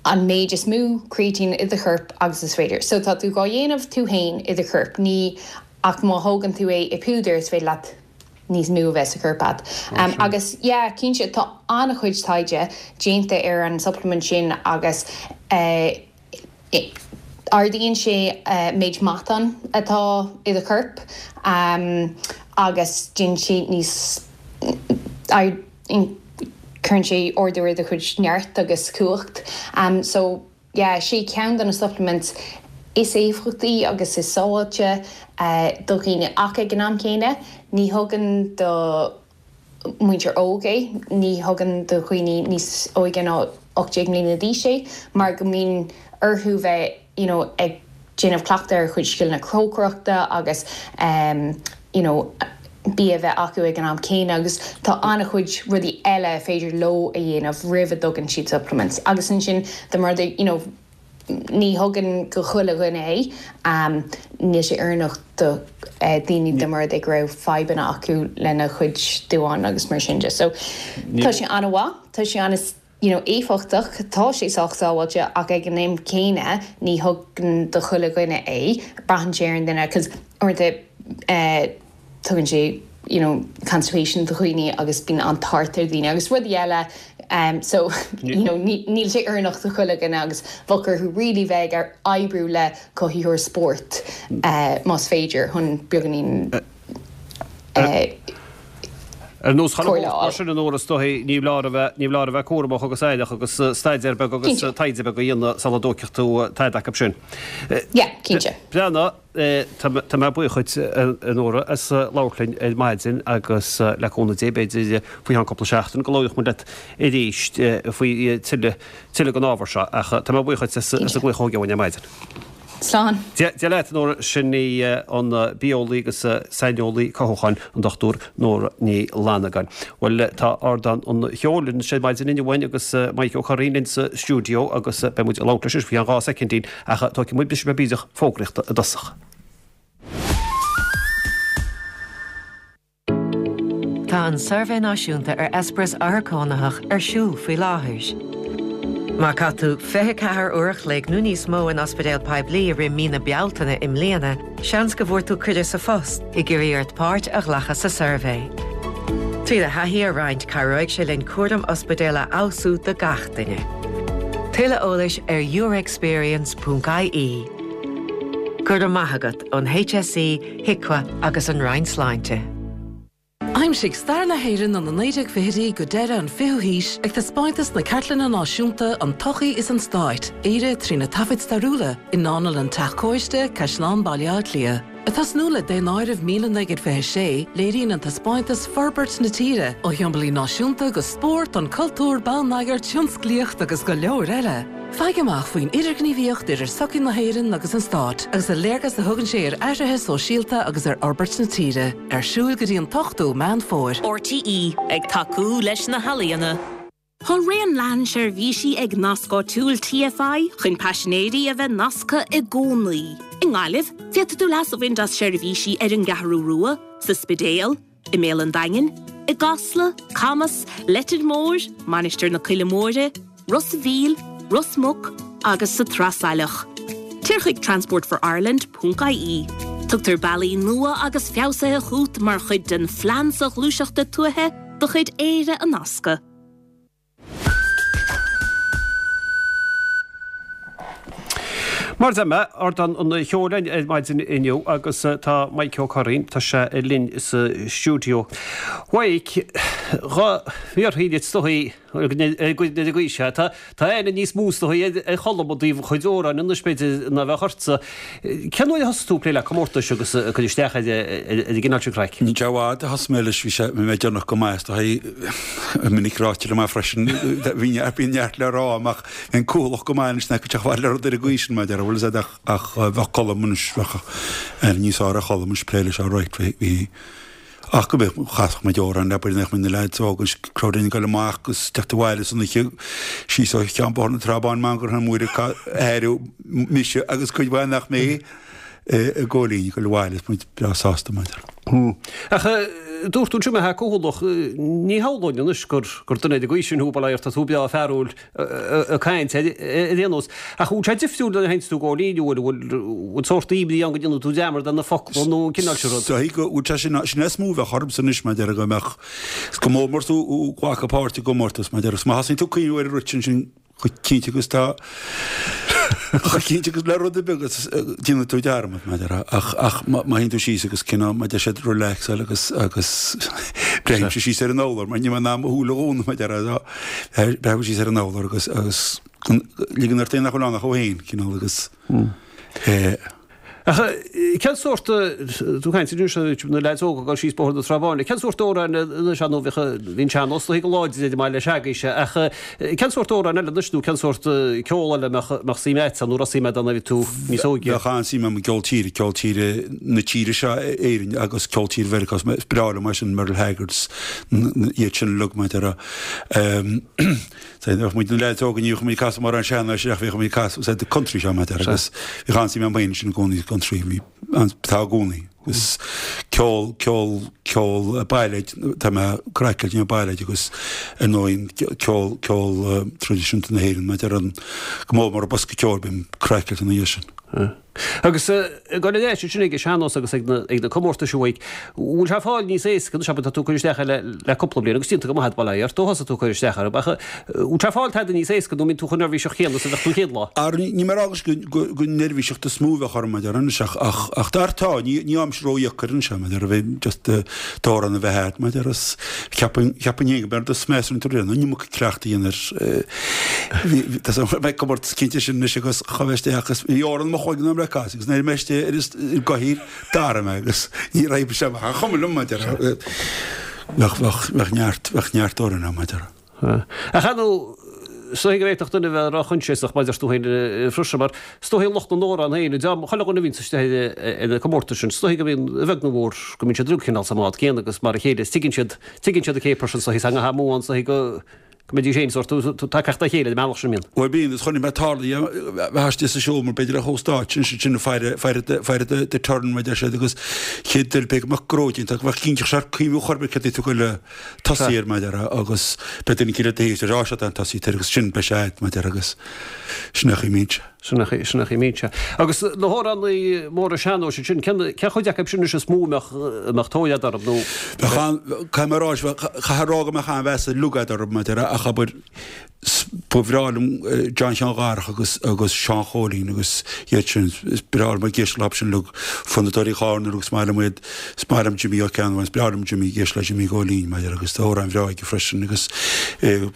an méid is mó creatine i do chorp agus is féidir. So tá tú á dhéanamh tú féin i do chorp ní ach má thógann tú é i púdar is féidir leat níos mó a bheith sa chorp agat. Um, agus yeah, cinnte tá an-chuid taighde déanta ar an supplement sin agus uh, ardaíonn sé uh, méid matán atá i do chorp um, agus déanann sé níos cuireann sé ardú ar do chuid neart agus cumhacht. Um, so yeah, sé ceann de na supplements is éifeachtaí agus is sábháilte uh, do dhaoine ach ag an am céanna, ní thugann do muintir óg é, ní thugann do dhaoine níos óige ná ocht déag mbliana d'aois é, mar go mbíonn orthu bheith you know, ag déanamh cleachtadh ar chuid scileanna cócaireachta agus um, you know, bia bheith acu ag an am céanna agus tá an-chuid rudaí eile féidir leo a dhéanamh roimh a dtugann siad supplements. Agus ansin de mar you know, ní thugann go chuile dhuine é um, níl sé oiriúnach do uh, daoine de mar go raibh fadhbanna acu lena chuid duán agus mar sin de. So tá sé an-mhaith, tá sé an you know, éifeachtach tá sé sách sábháilte ach ag an am céanna ní thugann do chuile dhuine é braitheann sé ar an duine cos uaireanta uh, tugann sé you know, constipation do dhaoine agus bíonn an tart ar daoine agus rudaí eile um, so you know, níl sé oiriúnach do chuile dhuine agus bheadh orthu really bheith ag oibriú le cothaitheoir spóirt uh, más féidir chun beagáinín uh, Ar nós mar sin an óra stoí ní lá ní lá a bheith cúramach agus aireach agus staidéar beag agus taighde beag a dhéanamh sula dtógfaidh tú tada acu sin. Yeah, cinnte. Breathnaigh tá mé buíoch duit a Nóra as labhairt linn ar maidin agus le cúnamh Dé b'fhéidir faoi cheann cúpla seachtain go labhróidh muid leat arís faoi tuilleadh den ábhar seo ach tá mé buíoch duit as an glaoch óige ar maidin. Slán. Dia leat Nóra sin í an bitheolaí agus saineolaí cothúcháin an Dochtúir Nóra Ní Fhlannagáin. Bhuel tá ardán an cheoil sé maidin inniu agus Mike Ó Curraoin linn sa stiúideo agus beidh muid ag labhairt leis faoi dhá soicindín ach tógfaidh muid briseadh beag fógraíochta i dtosach. Tá an Suirbhé Náisiúnta ar Eispéireas Othar Cónaitheach ar siúl faoi láthair. Má chaith tú fiche ceathair uair a chloig nó níos mó in ospidéal poiblí i rith mí na Bealtaine i mbliana, seans go bhfuair tú cuireadh sa phost ag iarraidh ort páirt a ghlacadh sa suirbhé. Trí do thaithí a roinnt cabhróidh sé linn cúram ospidéal a fheabhsú do gach duine. Tuilleadh eolais ar yourexperience ponc ie. Go raibh maith agat ón H S E, HIQA agus an Roinn Sláinte. Aimsigh stair na hÉireann ó na naoi déag fichidí go deireadh an fichiú haois ag taispeántas na Cartlainne Náisiúnta an tSochaí is an Stát, Éire trí na taifid stairiúla i nDánlann Teach Cóiste, Caisleán Bhaile Átha Cliath. Ag tosnú le Daonáireamh míle naoi gcéad fiche sé, léiríonn an taispeántas forbairt na tíre, ó shiombailí náisiúnta go spórt, an cultúr, bonneagar, tionsclaíocht agus go leor eile. Faigh amach faoin idirghníomhaíocht idir sochaí na hÉireann agus an Stát, agus an léargas a thugann sé ar athruithe sóisialta agus ar fhorbairt na tíre, ar siúl go dtí an t-ochtú Meán Fómhair. R T E ag tacú leis na healaíona. Tá raon leathan seirbhísí ag Nasc Áitiúil TFI chun paisinéirí a bheith nasctha i gcónaí. I nGaillimh, féadfaidh tú leas a bhaint as seirbhísí ar an gCeathrú Rua, sa Spidéal, i mBéal an Daingin, i gCasla, Camas, Leitir Móir, Mainistir na Coille Móire, Ros an Mhíl, Ros Muc agus sa Trasailleach. Téir chuig Transport for Ireland.ie. Tugtar bealaí nua agus feabhsaithe chugat mar chuid den phlean soghluaisteachta tuaithe de chuid Éire a Nascadh. Mar a deir mé, ardán an cheoil ar maidin inniu agus tá Maidhc Ó Curraoin, tá sé linn sa stiúideo. Mhaidhc, dhá bhfiafraí díot is dóichí ar an gcaoi seo, tá aithne níos mó is dóichí ar Cholm i dtaobh a chuid amhrán anois b'fhéidir ná bheadh ortsa. Cén uair a thosaigh tú ag plé le comórtais agus ag cur isteach ar an gcineál sin craic? Níl sé i bhfad a thosaigh mé leis, bhí sé, bhí mé déanach go maith is dóichí, minic ráite liom é freisin, bhí neart le rá ach bhí an cúthalach go maith anois nach go dteach le rud ar an gcaoi sin mar a déarfá, bhfuil a fhios agat, ach bheadh Colm anois, bheadh aithne níos fearr ar Cholm anois plé leis alright, bhí, ach go mbeadh, chasfadh muid amhrán le b'fhéidir nach mbeadh na leaids óga anois, crowd ag dul amach agus teacht abhaile san oíche síos ó cheann Bóthar na Trá Báine Mangara Móire airiú mise agus cuid mhaith nach mé i gcóilín ag dul abhaile is muid breá sásta maidir. Ach dúirt tú ansin mé cúthalach, ní shamhlóinn anois gur gur duine ar an gcaoi sin thú, bail ó Dhia ort, tá tú breá fearúil ag caint ar aon nós. Ach bhfuil sé difriúil nuair a théanns tú i gcóilín, bhfuil bhfuil sórt imní ann go ndéanfaidh tú dearmad ar na focla nó an cineál sin rud? Is dóigh go bhfuil sé sin, sin is mó a bheadh ormsa anois mar a déarfá go mbeadh, is go mór mór tú ag glacadh páirt i gcomórtas mar a déarfá, má thosaíonn tú ag cuimhniú ar an rud sin, sin chomh cinnte agus tá chomh cinnte agus le rud ar bith agus déanfaidh tú dearmad mar a déarfá ach ach má théann tú síos agus cineál mar a deir siad relaxáil agus agus breathnaímse síos ar an urlár mar níl mé in ann mo shúile a dhúnadh mar a déarfá breathnú síos ar an urlár agus agus ligean ort féin nach bhfuil ann ach thú féin cineál agus eh Ach cén sórt, tú ag caint anois ar na leaids óga ag dul síos Bóthar na Trá Báine, cén sórt amhráin anois nó bhíodh, bhí an sean-nós go láidir ar an mbaile seagaoise ach cén sórt amhráin eile anois nó cén sórt ceol eile a mbeadh suim agat ann nó raibh suim agat ann nuair a bhí tú níos óige? Bheadh an-suim agam i gceol tíre, ceol tíre na tíre seo, Éirinn, agus ceol tíre Mheiriceá, is breá liom é sin, Merle Haggard, iad sin uilig mar a déarfá. Bheadh muid na leaids óga ní bheadh muid ag casadh mórán sean-nóis ach bhíodh muid ag casadh sa country seo mar a déarfá agus bhíodh an-suim agam féin sin i gcónaí country bhí tá i gcónaí agus ceol ceol ceol bailéid tá mé craiceáilte na bailéid agus ar ndóigh ceol ceol traidisiúnta na hÉireann mar a déarfá go mór mór an bosca ceoil bím craiceáilte ina dhiaidh sin. Agus ag dul ar ais ansin ag an sean-nós agus ag na comórtais uaidh, bhfuil sé ag fáil níos éasca anois, abair, tá tú ag cur isteach air le cúpla bliain agus déanta go maith agat, bail ó Dhia ort, ó thosaigh tú ag cur isteach air, ach bhfuil sé ag fáil tada níos éasca nó mbíonn tú chomh neirbhíseach céanna is a bheadh tú an chéad lá? Ar, ní mé a rá go go neirbhíseacht is mó a bheadh orm, mar a déarfá, anois ach ach ach dar tá, ní ní fhaighimse ródheacair anois é, mar a déarfá, bheith just d'amhrán a bheith agat, mar a déarfá, is cheapfainn cheapfainn féin go mb'fhearr do smeas an an iomarca cleachtaidh a dhéanamh air. Bhí tá mé ag comórtas cinnte sin anois agus chuaigh mé isteach agus bhí amhrán i mo chloigeann agam le casadh agus nuair a bhí mé istigh ar an gcathaoir d'athraigh mé agus ní raibh sé amach an chuma liom mar a déarfá. Bheadh bheadh bheadh neart bheadh neart amhrán agam mar a déarfá. Ach ar ndóigh is dóigh go bhféadfadh duine a bheith róchoinsiasach maidir tú féin freisin mar is dóigh lucht na n-amhrán féin, dream chuile dhuine a bhíonns istigh ar na comórtais sin, is dóigh go mbíonn, a bheag nó a mhór, go mbíonn siad uilig cineál sa mbád céanna agus mar a chéile is tuigeann siad, tuigeann siad an céapar sin, is dóigh, is teanga amú ann, is dóigh go go mbeidís féin sórt tagtha dá chéile ar an mbealach sin, mbíonn. Bhuel bíonn, is chonaic mé tarlaithe bheith istigh sa seomra b'fhéidir ar chomh-stáitse ansin sin faire faire faire the the turn mar a deir siad agus chéad duine b'fhéidir go mbeadh gnó déanta go mbeadh cinnteach sé cuimhniú chor ar bith céard é tú ag goil tosaí air mar a déarfá agus beidh duine eicínt le do thaobh ar áis atá an tosaí air agus sin beidh sé agat mar a déarfá agus sin é a chuimhníonn sé. Sin é sin é a chuimhníonn sé. Agus na hamhránaí móra sean-nóis ansin, cén cén chuid acu sin anois is mó a mbeadh a mbeadh tóir agat orthu nó? Bheadh an, caithfidh mé a rá, chaithfeá a rá go mbeadh an-mheas uilig agat orthu mar a déarfá ach abair ba bhreá liom John Sheáin Dharach agus agus Seán Chóilín agus iad sin, is breá liom ag éisteacht leo sin uilig, Fonnadóirí Chárna agus is maith liom iad, is maith liom Jimí Ó Ceannabháin, is breá liom Jimí, ag éisteacht le Jimí Chóilín mar a déarfá agus tá amhráin bhreá aige freisin agus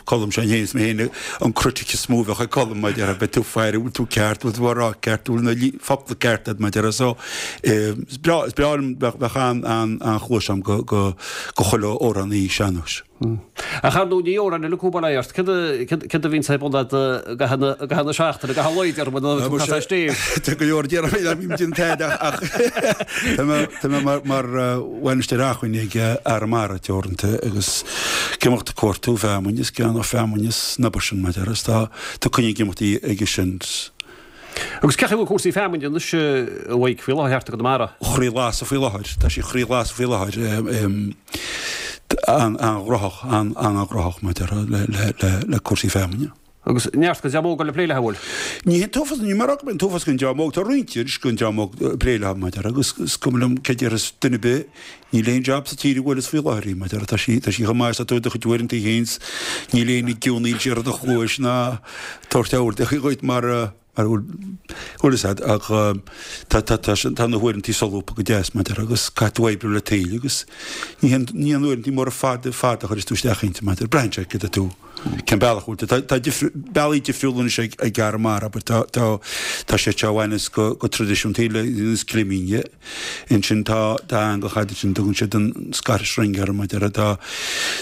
Colm Seán Fhéin, is mé féin an critic is mó a bheadh ag Colm mar a déarfá, beidh tú ag faire, bhfuil tú ceart, bhfuil tú á rá ceart, bhfuil na focla ceart agat mar a déarfá so is breá, is breá liom, bheadh an-chluais agam go, go, go chuile amhránaí sean-nóis. Ach ar ndóigh ní amhráin uilig thú bail ó Dhia ort. Cén Céard a bhíonn ar bun agat i gcaitheamh na seachtaine, i gcaitheamh an lae, déarfainn, nuair atá tú ag casadh stéim? Tá go leor déarfainn nach mbím ag déanamh tada ach tá mé tá mé mar mar bhainisteoir acmhainní ag Arramara Teoranta agus ag imeacht ag cuartú feamainn is ag ceannach feamainn is an obair sin mar is tá tá coinne ag imeachtaí aige sin. Agus cén chaoi a bhfuil cúrsaí feamainne anois a Mhaidhc faoi láthair thart i gConamara? Chroí lasadh faoi láthair. Tá sí chroí lasadh faoi láthair. An-ghnóthach, an-ghnóthach maidir le cúrsaí feamainne. Agus neart den dream óg le plé léi, an bhfuil? Ní hé an t-uafás, ní mar an t-uafás den dream óg, tá roinnt anois den dream óg ag plé léi, maidir agus is cuma liom cé déarfas duine ar bith, níl aon jab sa tír a bhfuil is faoi láthair í, maidir tá sí, tá sí chomh maith is tá tú i do chuid uaireanta féin, níl éinne ag geonaíl siar i do chluais ná tabhairt aird dhuit mar Mar a bhfuil fhios a'd, ach tá, tá, tá, tá na huaireantaí solúbtha go deas, mar a déarfá, agus caithfidh tú oibriú le toil agus ní haon, ní haon uaireantaí móra fada, fada a chuireas tú isteach inti, mar a déarfá, braitheann sé céard é tú, cén bealach a bhfuil tú. Tá, tá difri, bealaí difriúla anois ag, ag Arramara, abair, tá, tá, tá sé seo a bhaineas go, go traidisiúnta le, is climín, Ansin tá, tá eangach a'd ansin, tugann siad an Scottish Ring air, mar a déarfá, tá,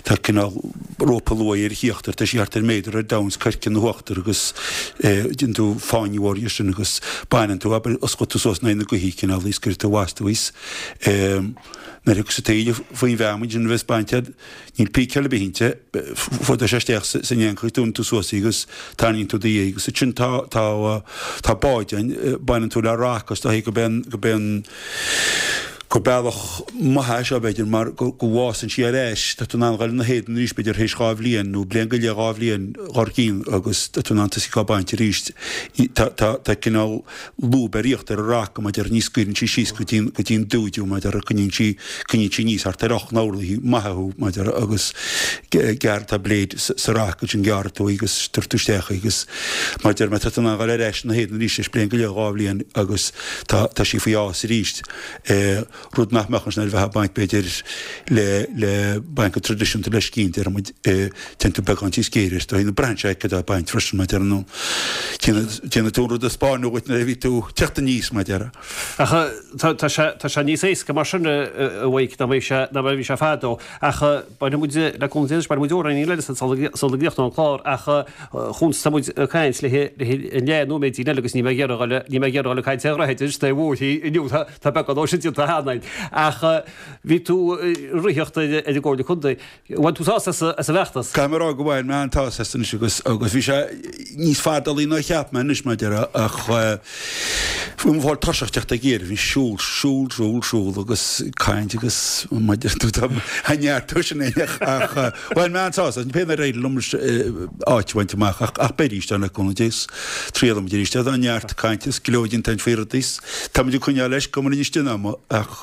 tá cineál rópa luaidhe ar a híochtar, tá sí thart ar méadar ar domhan, is coirce ina huachtar agus eh déanann tú fáinne mhór dhe sin agus baineann tú, abair, osclaíonn tú suas in aghaidh na gaoithe cineál í is cuireann tú abhus tú í is eh nuair a thiocfas an taoille faoin bhfeamainn sin a bheas bainte a'd, níl píceáil ar bith inti, fuadóidh sé isteach san eangach í, dúnann tú suas í agus tarraingíonn tú do dhiaidh agus ansin tá, tá, tá báid ann, baineann tú le raca is dóichí go b'é an, go b'é an, gur bealach maith é seo b'fhéidir mar go, go bhfásann sí ar ais, tá tú in ann dhul ina héadan arís b'fhéidir théis dhá bhliain nó bliain go leith dhá bhliain dhár gcionn agus tá tú in ann tosaí á baint arís. Tá, tá, tá cineál lúb ar íochtar an raca mar a déarfá ní scaoileann sí síos go dtí an, go dtí an dúid thú mar a déarfá coinníonn sí, coinníonn sí aníos thart ar ocht n-orlaí maithe thú mar a déarfá agus gearr tá blade sa raca ansin gearrfaidh tú í agus tabharfaidh tú isteach í agus mar a deir mé tá tú in ann dhul ar ais ina héadan arís théis bliain go leith dhá bhliain agus tá, tá sí faoi fhás arís. Rud nach mbeadh ansin ar bheith ag baint b'fhéidir le, le baint go traidisiúnta le scian déarfaidh muid téann tú beagán níos géire air nó braitheann sé cad é baint freisin mar a déarfá nó déanfaidh tú an rud a spáineadh dhuit nuair a bhí tú ag teacht aníos mar a déarfá. Ach tá, tá sé, tá sé níos éasca mar sin a Mhaidhc ná mar a bhí sé, ná mar a bhí sé fadó. Ach bainfidh muid, le cúnamh Dé anois, bainfidh muid amhráinín eile sula gcríochnóidh an clár ach chúns tá muid ag caint le le leath nóiméidín eile agus níl mé ag iarraidh dhul, níl mé ag iarraidh dhul ag caint ar dhroichid anois taobh uaithi inniu, tá, tá beagán dó sin déanta cheana againn. Ach bhí tú ag ritheacht ar an gComhairle Contae. Bhain tú sásamh as, as an bhfeachtas? Caithfidh mé a rá go bhain mé an-tsásamh as anois agus, agus bhí sé níos fadálaí ná a cheap mé anois mar a déarfá ach bhí mé fáil tuirseach teacht ag iarraidh, bhí siúl, siúl, siúl, siúl agus caint agus mar a deir tú tá neart dó sin ach, ach bhain mé an-tsásamh as, pé nár éirigh liom áit a bhaint amach ach, ach beidh arís ann le cúnamh Dé is triailfidh muid arís. Tá neart cainte is go leor déanta faoi rudaí is táimid ag coinneáil leis go mba anois den ama ach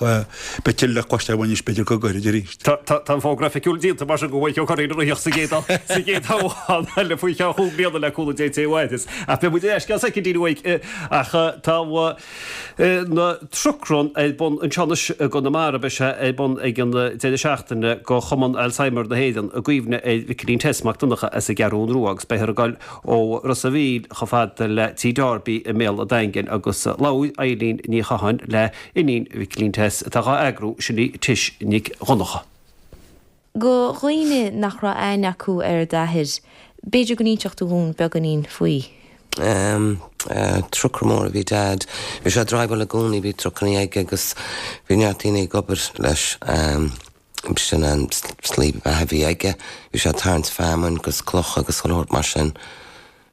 beidh tuilleadh le cloisteáil uainn anois b'fhéidir go gairid arís. Tá an fógra oifigiúil déanta mar sin go bhfuil Ó Curraoin ag ritheacht sa gcéad sa gcéad toghchán eile faoi cheann chúig bliana le cúnamh Dé Dé uaidh. Ach beidh muid ar ais i gceann soicindín uaidh ach tá na Truck Run ar bun anseo anois i gConamara. Beidh sé ar bun ag an deireadh seachtaine do Chumann Alzheimer na hÉireann i gcuimhne ar Mhicilín Tess Mac Donncha as an gCeathrún Rua agus beifear ag dul ó Ros a' Mhíl chomh fada le Tigh Darby i mBéal an Daingin agus labhair Eilín Ní Chatháin le iníon Mhicilín Tess atá dhá eagrú, sin í Tish Nic Dhonncha. Do dhaoine nach raibh aithne acu ar d'athair, b'fhéidir go n-inseodh tú dhúinn beagáinín faoi. Trucker mór a bhí Dad. Bhí sé ag driveáil i gcónaí, bhí trucannaí aige agus bhí neart daoine ag obair leis. B'shin an slí beatha a bhí aige. Bhí sé ag tarraingt feamainn agus clocha agus chuile shórt mar sin.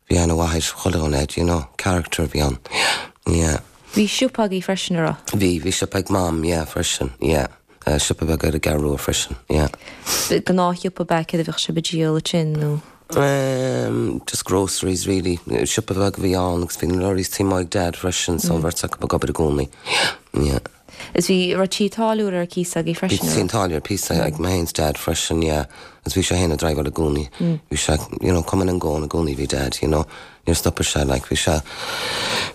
Bhí aithne mhaith ar chuile dhuine air, you know, character a bhí ann. Yeah. Bhí siopa agaibh freisin, an raibh? Bhí, bhí siopa ag Mam, yeah, freisin, yeah. Siopa beag ar an gCeathrú Rua freisin, yeah. Gnáthshiopa ab ea, céard a bhíodh sibh ag díol ansin nó? Ehm, just groceries really. Siopa beag a bhí ann agus bhí na lorries taobh amuigh ag Dad freisin so an bheirt acu ag obair i gcónaí. Yeah. Is bhí, raibh tí táilliúra ar cíos agaibh freisin, Bhí tí táilliúra ar cíos ag mé féin 's Dad freisin, yeah. Agus bhí sé féin ag driveáil i gcónaí. Bhí sé, you know, coming and going i gcónaí bhí Dad, you know. Níor stopadh sé, like, bhí sé,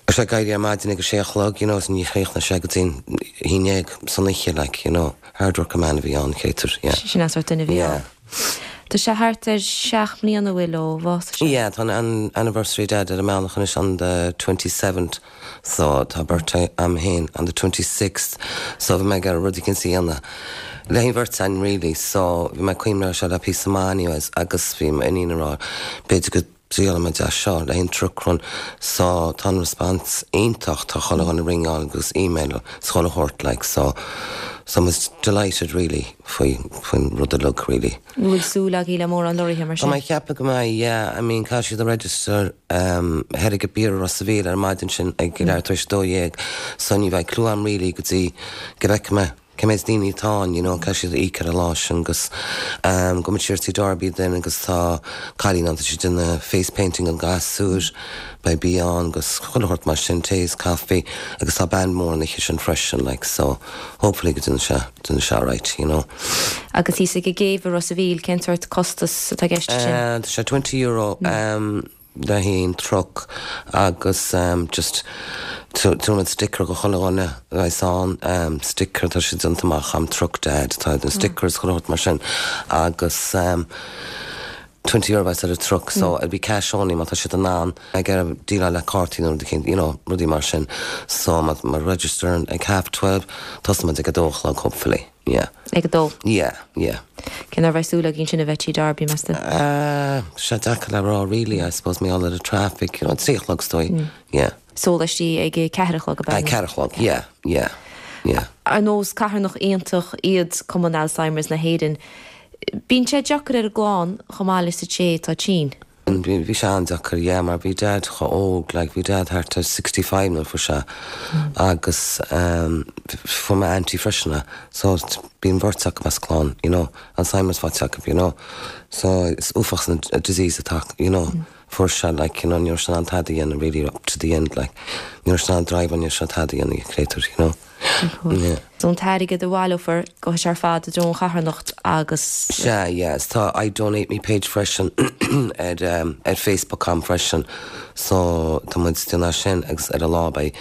bhí sé ag éirí ar maidin ag a sé a chlog, you know, is ní chríochnaigh sé go dtí an haon déag san oíche, like, you know. Hard working man a bhí ann, chéadtar, yeah. Sin an sórt duine a bhí Yeah. ann. Tá sé thart ar seacht mbliana bhfuil ó bhásaigh sé. Yeah, tá an anniversary Dad ar an mbealach anois on the twenty seventh so tá birthday a'm féin on the twenty sixth so bhí mé ag iarraidh rud éicint a dhéanamh le haghaidh an bheirt againn really so bhí mé ag cuimhneamh ar seo le píosa maith anyways agus bhí m'iníon ag rá b'fhéidir go dtriailfidh muid é seo le haghaidh an truck run so tá an response iontach tá chuile dhuine ag ringeáil agus email is chuile shórt like so so I'm delighted really faoi faoin rud uilig really. An bhfuil súil agaibh le mórán lorraithe mar Tá sin? mé ag ceapadh go mbeidh yeah I mean caithfidh siad a register um thoir ag Bier Ros a' Mhíl ar an maidin sin ag leathuair tar éis a dó dhéag so ní bheidh clue a'm really go dtí go bhfeicfidh mé cé méid daoine atá ann, you know, caithfidh siad íoc ar an lá sin agus um, gabhfaidh muid siar Tí Darby then agus tá cailín ann, tá sí ag déanamh face painting an gasúir, beidh bia ann agus chuile shórt mar sin, tae is coffee agus tá band mór an oíche sin freisin, like, so hopefully go déanfaidh sé, déanfaidh sé alright, you know. Agus thíos ag an gcéibh i Ros a' Mhíl, cén sórt costas atá i gceist sin? Uh, tá sé twenty euro um, le haghaidh an truck agus um, just tabharfaidh muid sticker go chuile dhuine a bheas ann, um, sticker tá sé déanta amach am truck dad tá na stickers chuile shórt mar sin agus um, twenty euro bheas ar an truck so it'll be cash only má tá siad in ann ag iarraidh déileáil le cártaí nó rud éicint, you know, rudaí mar sin so má má register ag half twelve tosóidh muid ag a dó a chlog hopefully. Yeah. Ag a dó? Yeah, yeah. Cén uair a bheidh súil againn sin a bheith Tí Darby, meas tú? Uh, sé deacair le rá really, I suppose, mar gheall ar an traffic, you know, trí a chlog is dóigh, mm. yeah. Sólaistí ag a ceathair a chlog ab ea? A ceathair a chlog, yeah, yeah, yeah. Ar nós carthanacht iontach iad Cumann Alzheimer's na hÉireann, bíonn sé deacair ar an gclann chomh maith leis an té atá tinn. Bhí sé an-deacair, yeah, mar bhí Dad chomh óg, like, bhí Dad thart ar sixty five nuair a fuair sé agus um, fuair m'auntie freisin é, so bíonn beirt acu as clann, you know, Alzheimer's faighte acu, you know, so is uafásach an disease atá, you know, fuair sé, like, you know, ní raibh sé in ann tada a dhéanamh really up to the end, like, ní raibh sé in ann drive ní raibh sé tada a dhéanamh, créatúr, you know. Yeah. So an t-airgead a bhaileofar gabhfaidh sé ar fad i dtreo an charthanacht agus. Sea, yes, tá I Donate Me page freisin ar um, ar Facebook a'm freisin so tá muid ag déanamh sin agus ar an lá beidh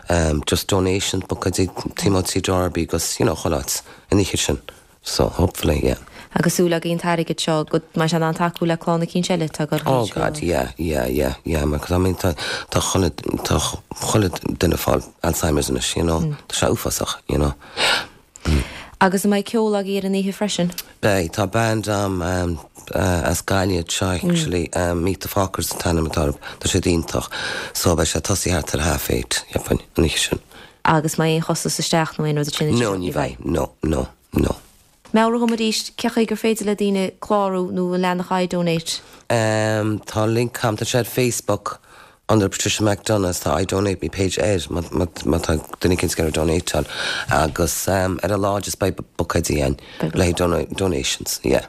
um, just donation buicéidí Timothy Darby agus you know chuile áit an oíche sin so hopefully yeah. Agus súil againn an t-airgead seo go mbeidh sé in ann tacú le clann eicínt eile atá ag dul Oh God, yeah, yeah, yeah, yeah, mar I mean tá tá chuile tá chuile duine ag fáil Alzheimer's anois, you know, tá sé uafásach, you know. Agus an mbeidh ceol agaibh ar an oíche freisin? Beidh, tá band a'm um, uh, as Gaillimh seo actually, um, Meet the Fockers an t-ainm atá orthu, tá siad iontach, so beidh sé tosaithe thart ar half eight, cheapfainn, an oíche sin. Agus an mbeidh aon chostas isteach nó aon rud sin? No, ní bheidh, no, no, no. Meabhraigh dom arís, cé chaoi gur féidir le daoine clárú nó an leathanach iDonate? Um, tá link a'm, tá sé ar Facebook under Patricia McDonagh, tá I Donate Me page air, má má má tá duine éicint ag iarraidh donateáil agus um, ar an lá just beidh buicéidí ann le dona donations, yeah.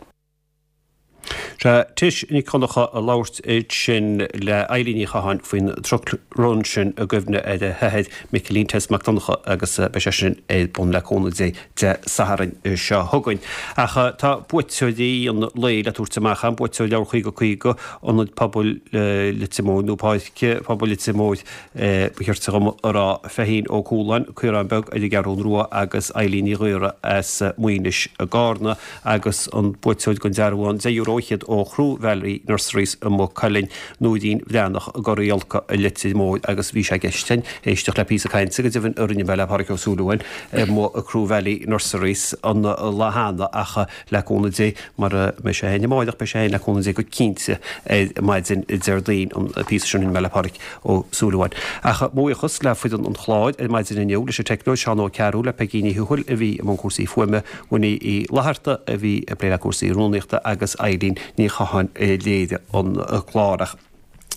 Sea, Tish Nic Dhonncha ag labhairt ansin le Eilín Ní Chatháin faoin truck run sin i gcuimhne ar a hathair Micilín Tess Mac Donncha agus beidh sé sin ar bun le cúnamh Dé Dé Sathairn seo chugainn. Ach tá buaiteoirí an lae le tabhairt amach an buaiteoir leabhar caoga caoga Ionad Pobail Leitir Móir nó Páirc Pobail Leitir Móir ba cheart dom a rá Feichín Ó Cualáin, Caorán Beag ar an gCeathrú Rua agus Eilín Ní Ghaora as Maínis i gCarna agus an buaiteoir den dearbhán deich euro fhichead ó Chroe Valley Nurseries i Maigh Cuilinn, Nóirín Bhreathnach i gCora Iolca i Leitir Móir agus bhí sé i gceist againn éisteacht le píosa cainte go deimhin a rinne mé le Pádraig Ó Súilleabháin i mo Chroe Valley Nurseries an lá cheana ach le cúnamh Dé mura mbeidh sé féin amárach beidh sé féin le cúnamh Dé go cinnte ar maidin Déardaoin an píosa sin a rinne mé le Pádraig Ó Súilleabháin. Ach mo bhuíochas le foireann an chláir ar maidin inniu leis an teicneoir Seán Ó Cearúil le Peigí Ní Thuathail a bhí i mbun cúrsaí fuaime, Winnie Uí Fhlatharta a bhí ag plé le cúrsaí rúnaíochta agus Eileen Ní Chatháin a léirigh an clár. Ach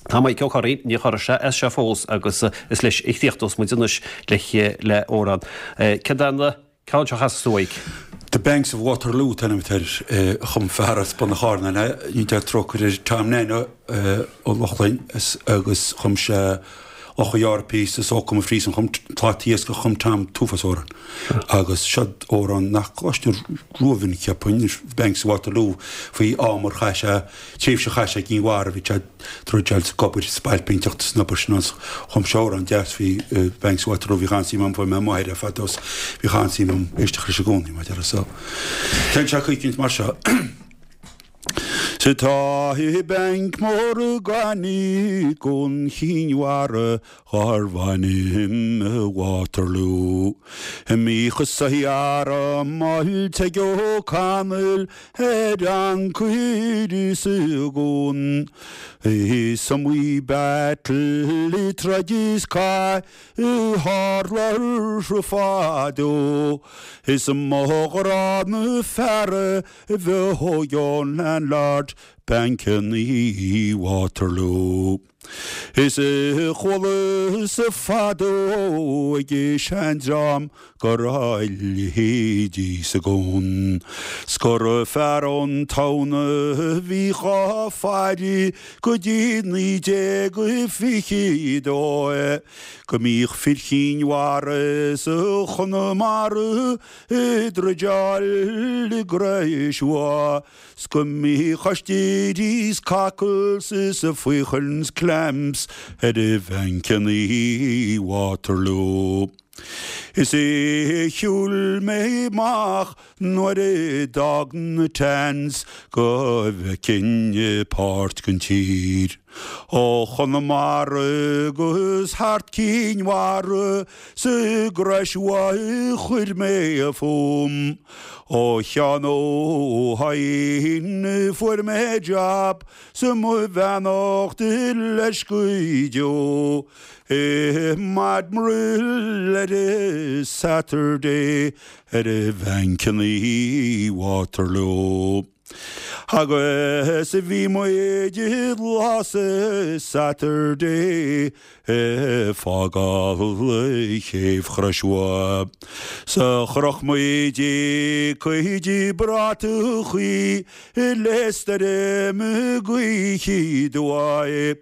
tá Maidhc Ó Curraoin, níor chorraigh sé as seo fós agus is leis a chríochnós muid anois le le amhrán. Cad é an ceann seo a chasfas tú, a Mhaidhc? The Banks of Waterloo an t-ainm atá air, a chum fear as Bun an Chairn, ní deir trócaire air, Tom Nano Ó Lochlainn agus chum sé Loch a' Iáir píosa is Ó Come Fríosan chum Plátaí Iascach chum Tom t-uafás amhrán agus seo amhrán nach gcloistear rómhinic cheapfainn, Banks of Waterloo faoi am ar chaith sé, tréimhse a chaith sé i gCinn Mhara, bhí sé ag troid is ag obair spailpínteacht san obair sin agus chum sé amhrán deas faoi Banks of Waterloo, bhí an-suim agam, fuair mé ó m'athair é fadó is bhí an-suim agam éisteacht leis i gcónaí, mar a déarfá so. Téann sé coicint mar seo. Sa tá i banc mór gainimh gon Chinn Mhara darbh ainm Waterloo. Bhíodh saothar maith ag O'Connell ar ancaire sa gcuan. Is iomaí battle troid is cath a tharla fadó. Is mo ghrá na feara a bheith ón landlord bancanna Waterloo. Is chualas fadó ag seandream go raibh a leithéidí sa gcuan. 'S gur fear ón town a bhí dhá faire go dtí naoi déag fiche dó go mbíodh fir Chinn Mhara is Chonamara ag druideáil i gCrois Mhaigh 's go mbíodh oistéirí 's cockles is faochain 's clams ar a bhancanna Waterloo. Is é shiúil mé amach nuair a d'fhág na Tans go bhfeicfinn páirt den tír. Ó Chonamara agus thart Cinn Mhara sa gCrois Mhaigh chuir mé fúm. Ó Sheán Ó hEidhin fuair mé job sa mo bheannacht leis go deo. I Admiral ar a Saturday ar a bhancanna Waterloo. Agus a bhí muid lá sa Saturday fágáil chéibh Chrois Mhaigh. Sa chroch muid cuid bratachaí le stoirm gaoithe aduaidh.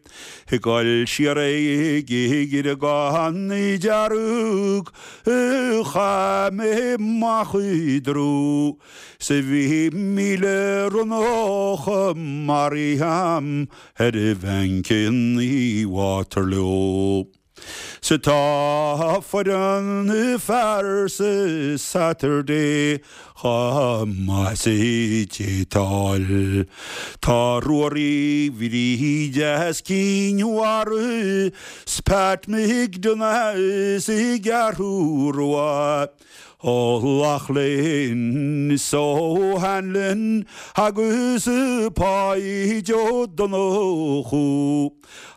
Ag dul siar ag gan dearg chaith mé amach i dtrú. Sa bhí míle ronnach maraithe a'm ar a bhancanna Waterloo. Sa tá foireann fear sa Saturday chomh maith is a d'fhéadfá. Tá Ruairí Bhríde as Cinn Mhara 's Pat McDonagh as an gCeathrú Rua. Ó Loughlin is O'Hanlon agus Páid Ó Donnchú.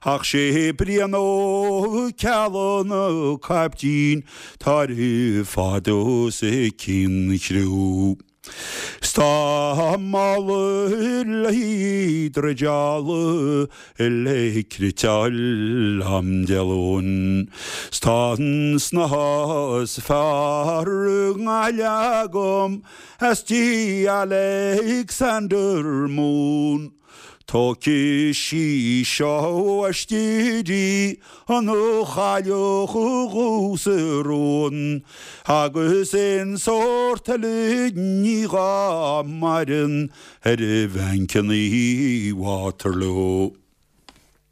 Ach sé Brian Ó Ceallaigh an caiptín tá ar fad os a cionn chriú. Tá mála le druideála le criteáil am Dé Luain. Tá an snáithe is fearr i nGaillimh agam as tí Alexander Moon. Tógfaidh sí seo aisti an chailleach dhubh sa rún, agus aon sórt eile ní dhá maireann ar a bhancanna Waterloo.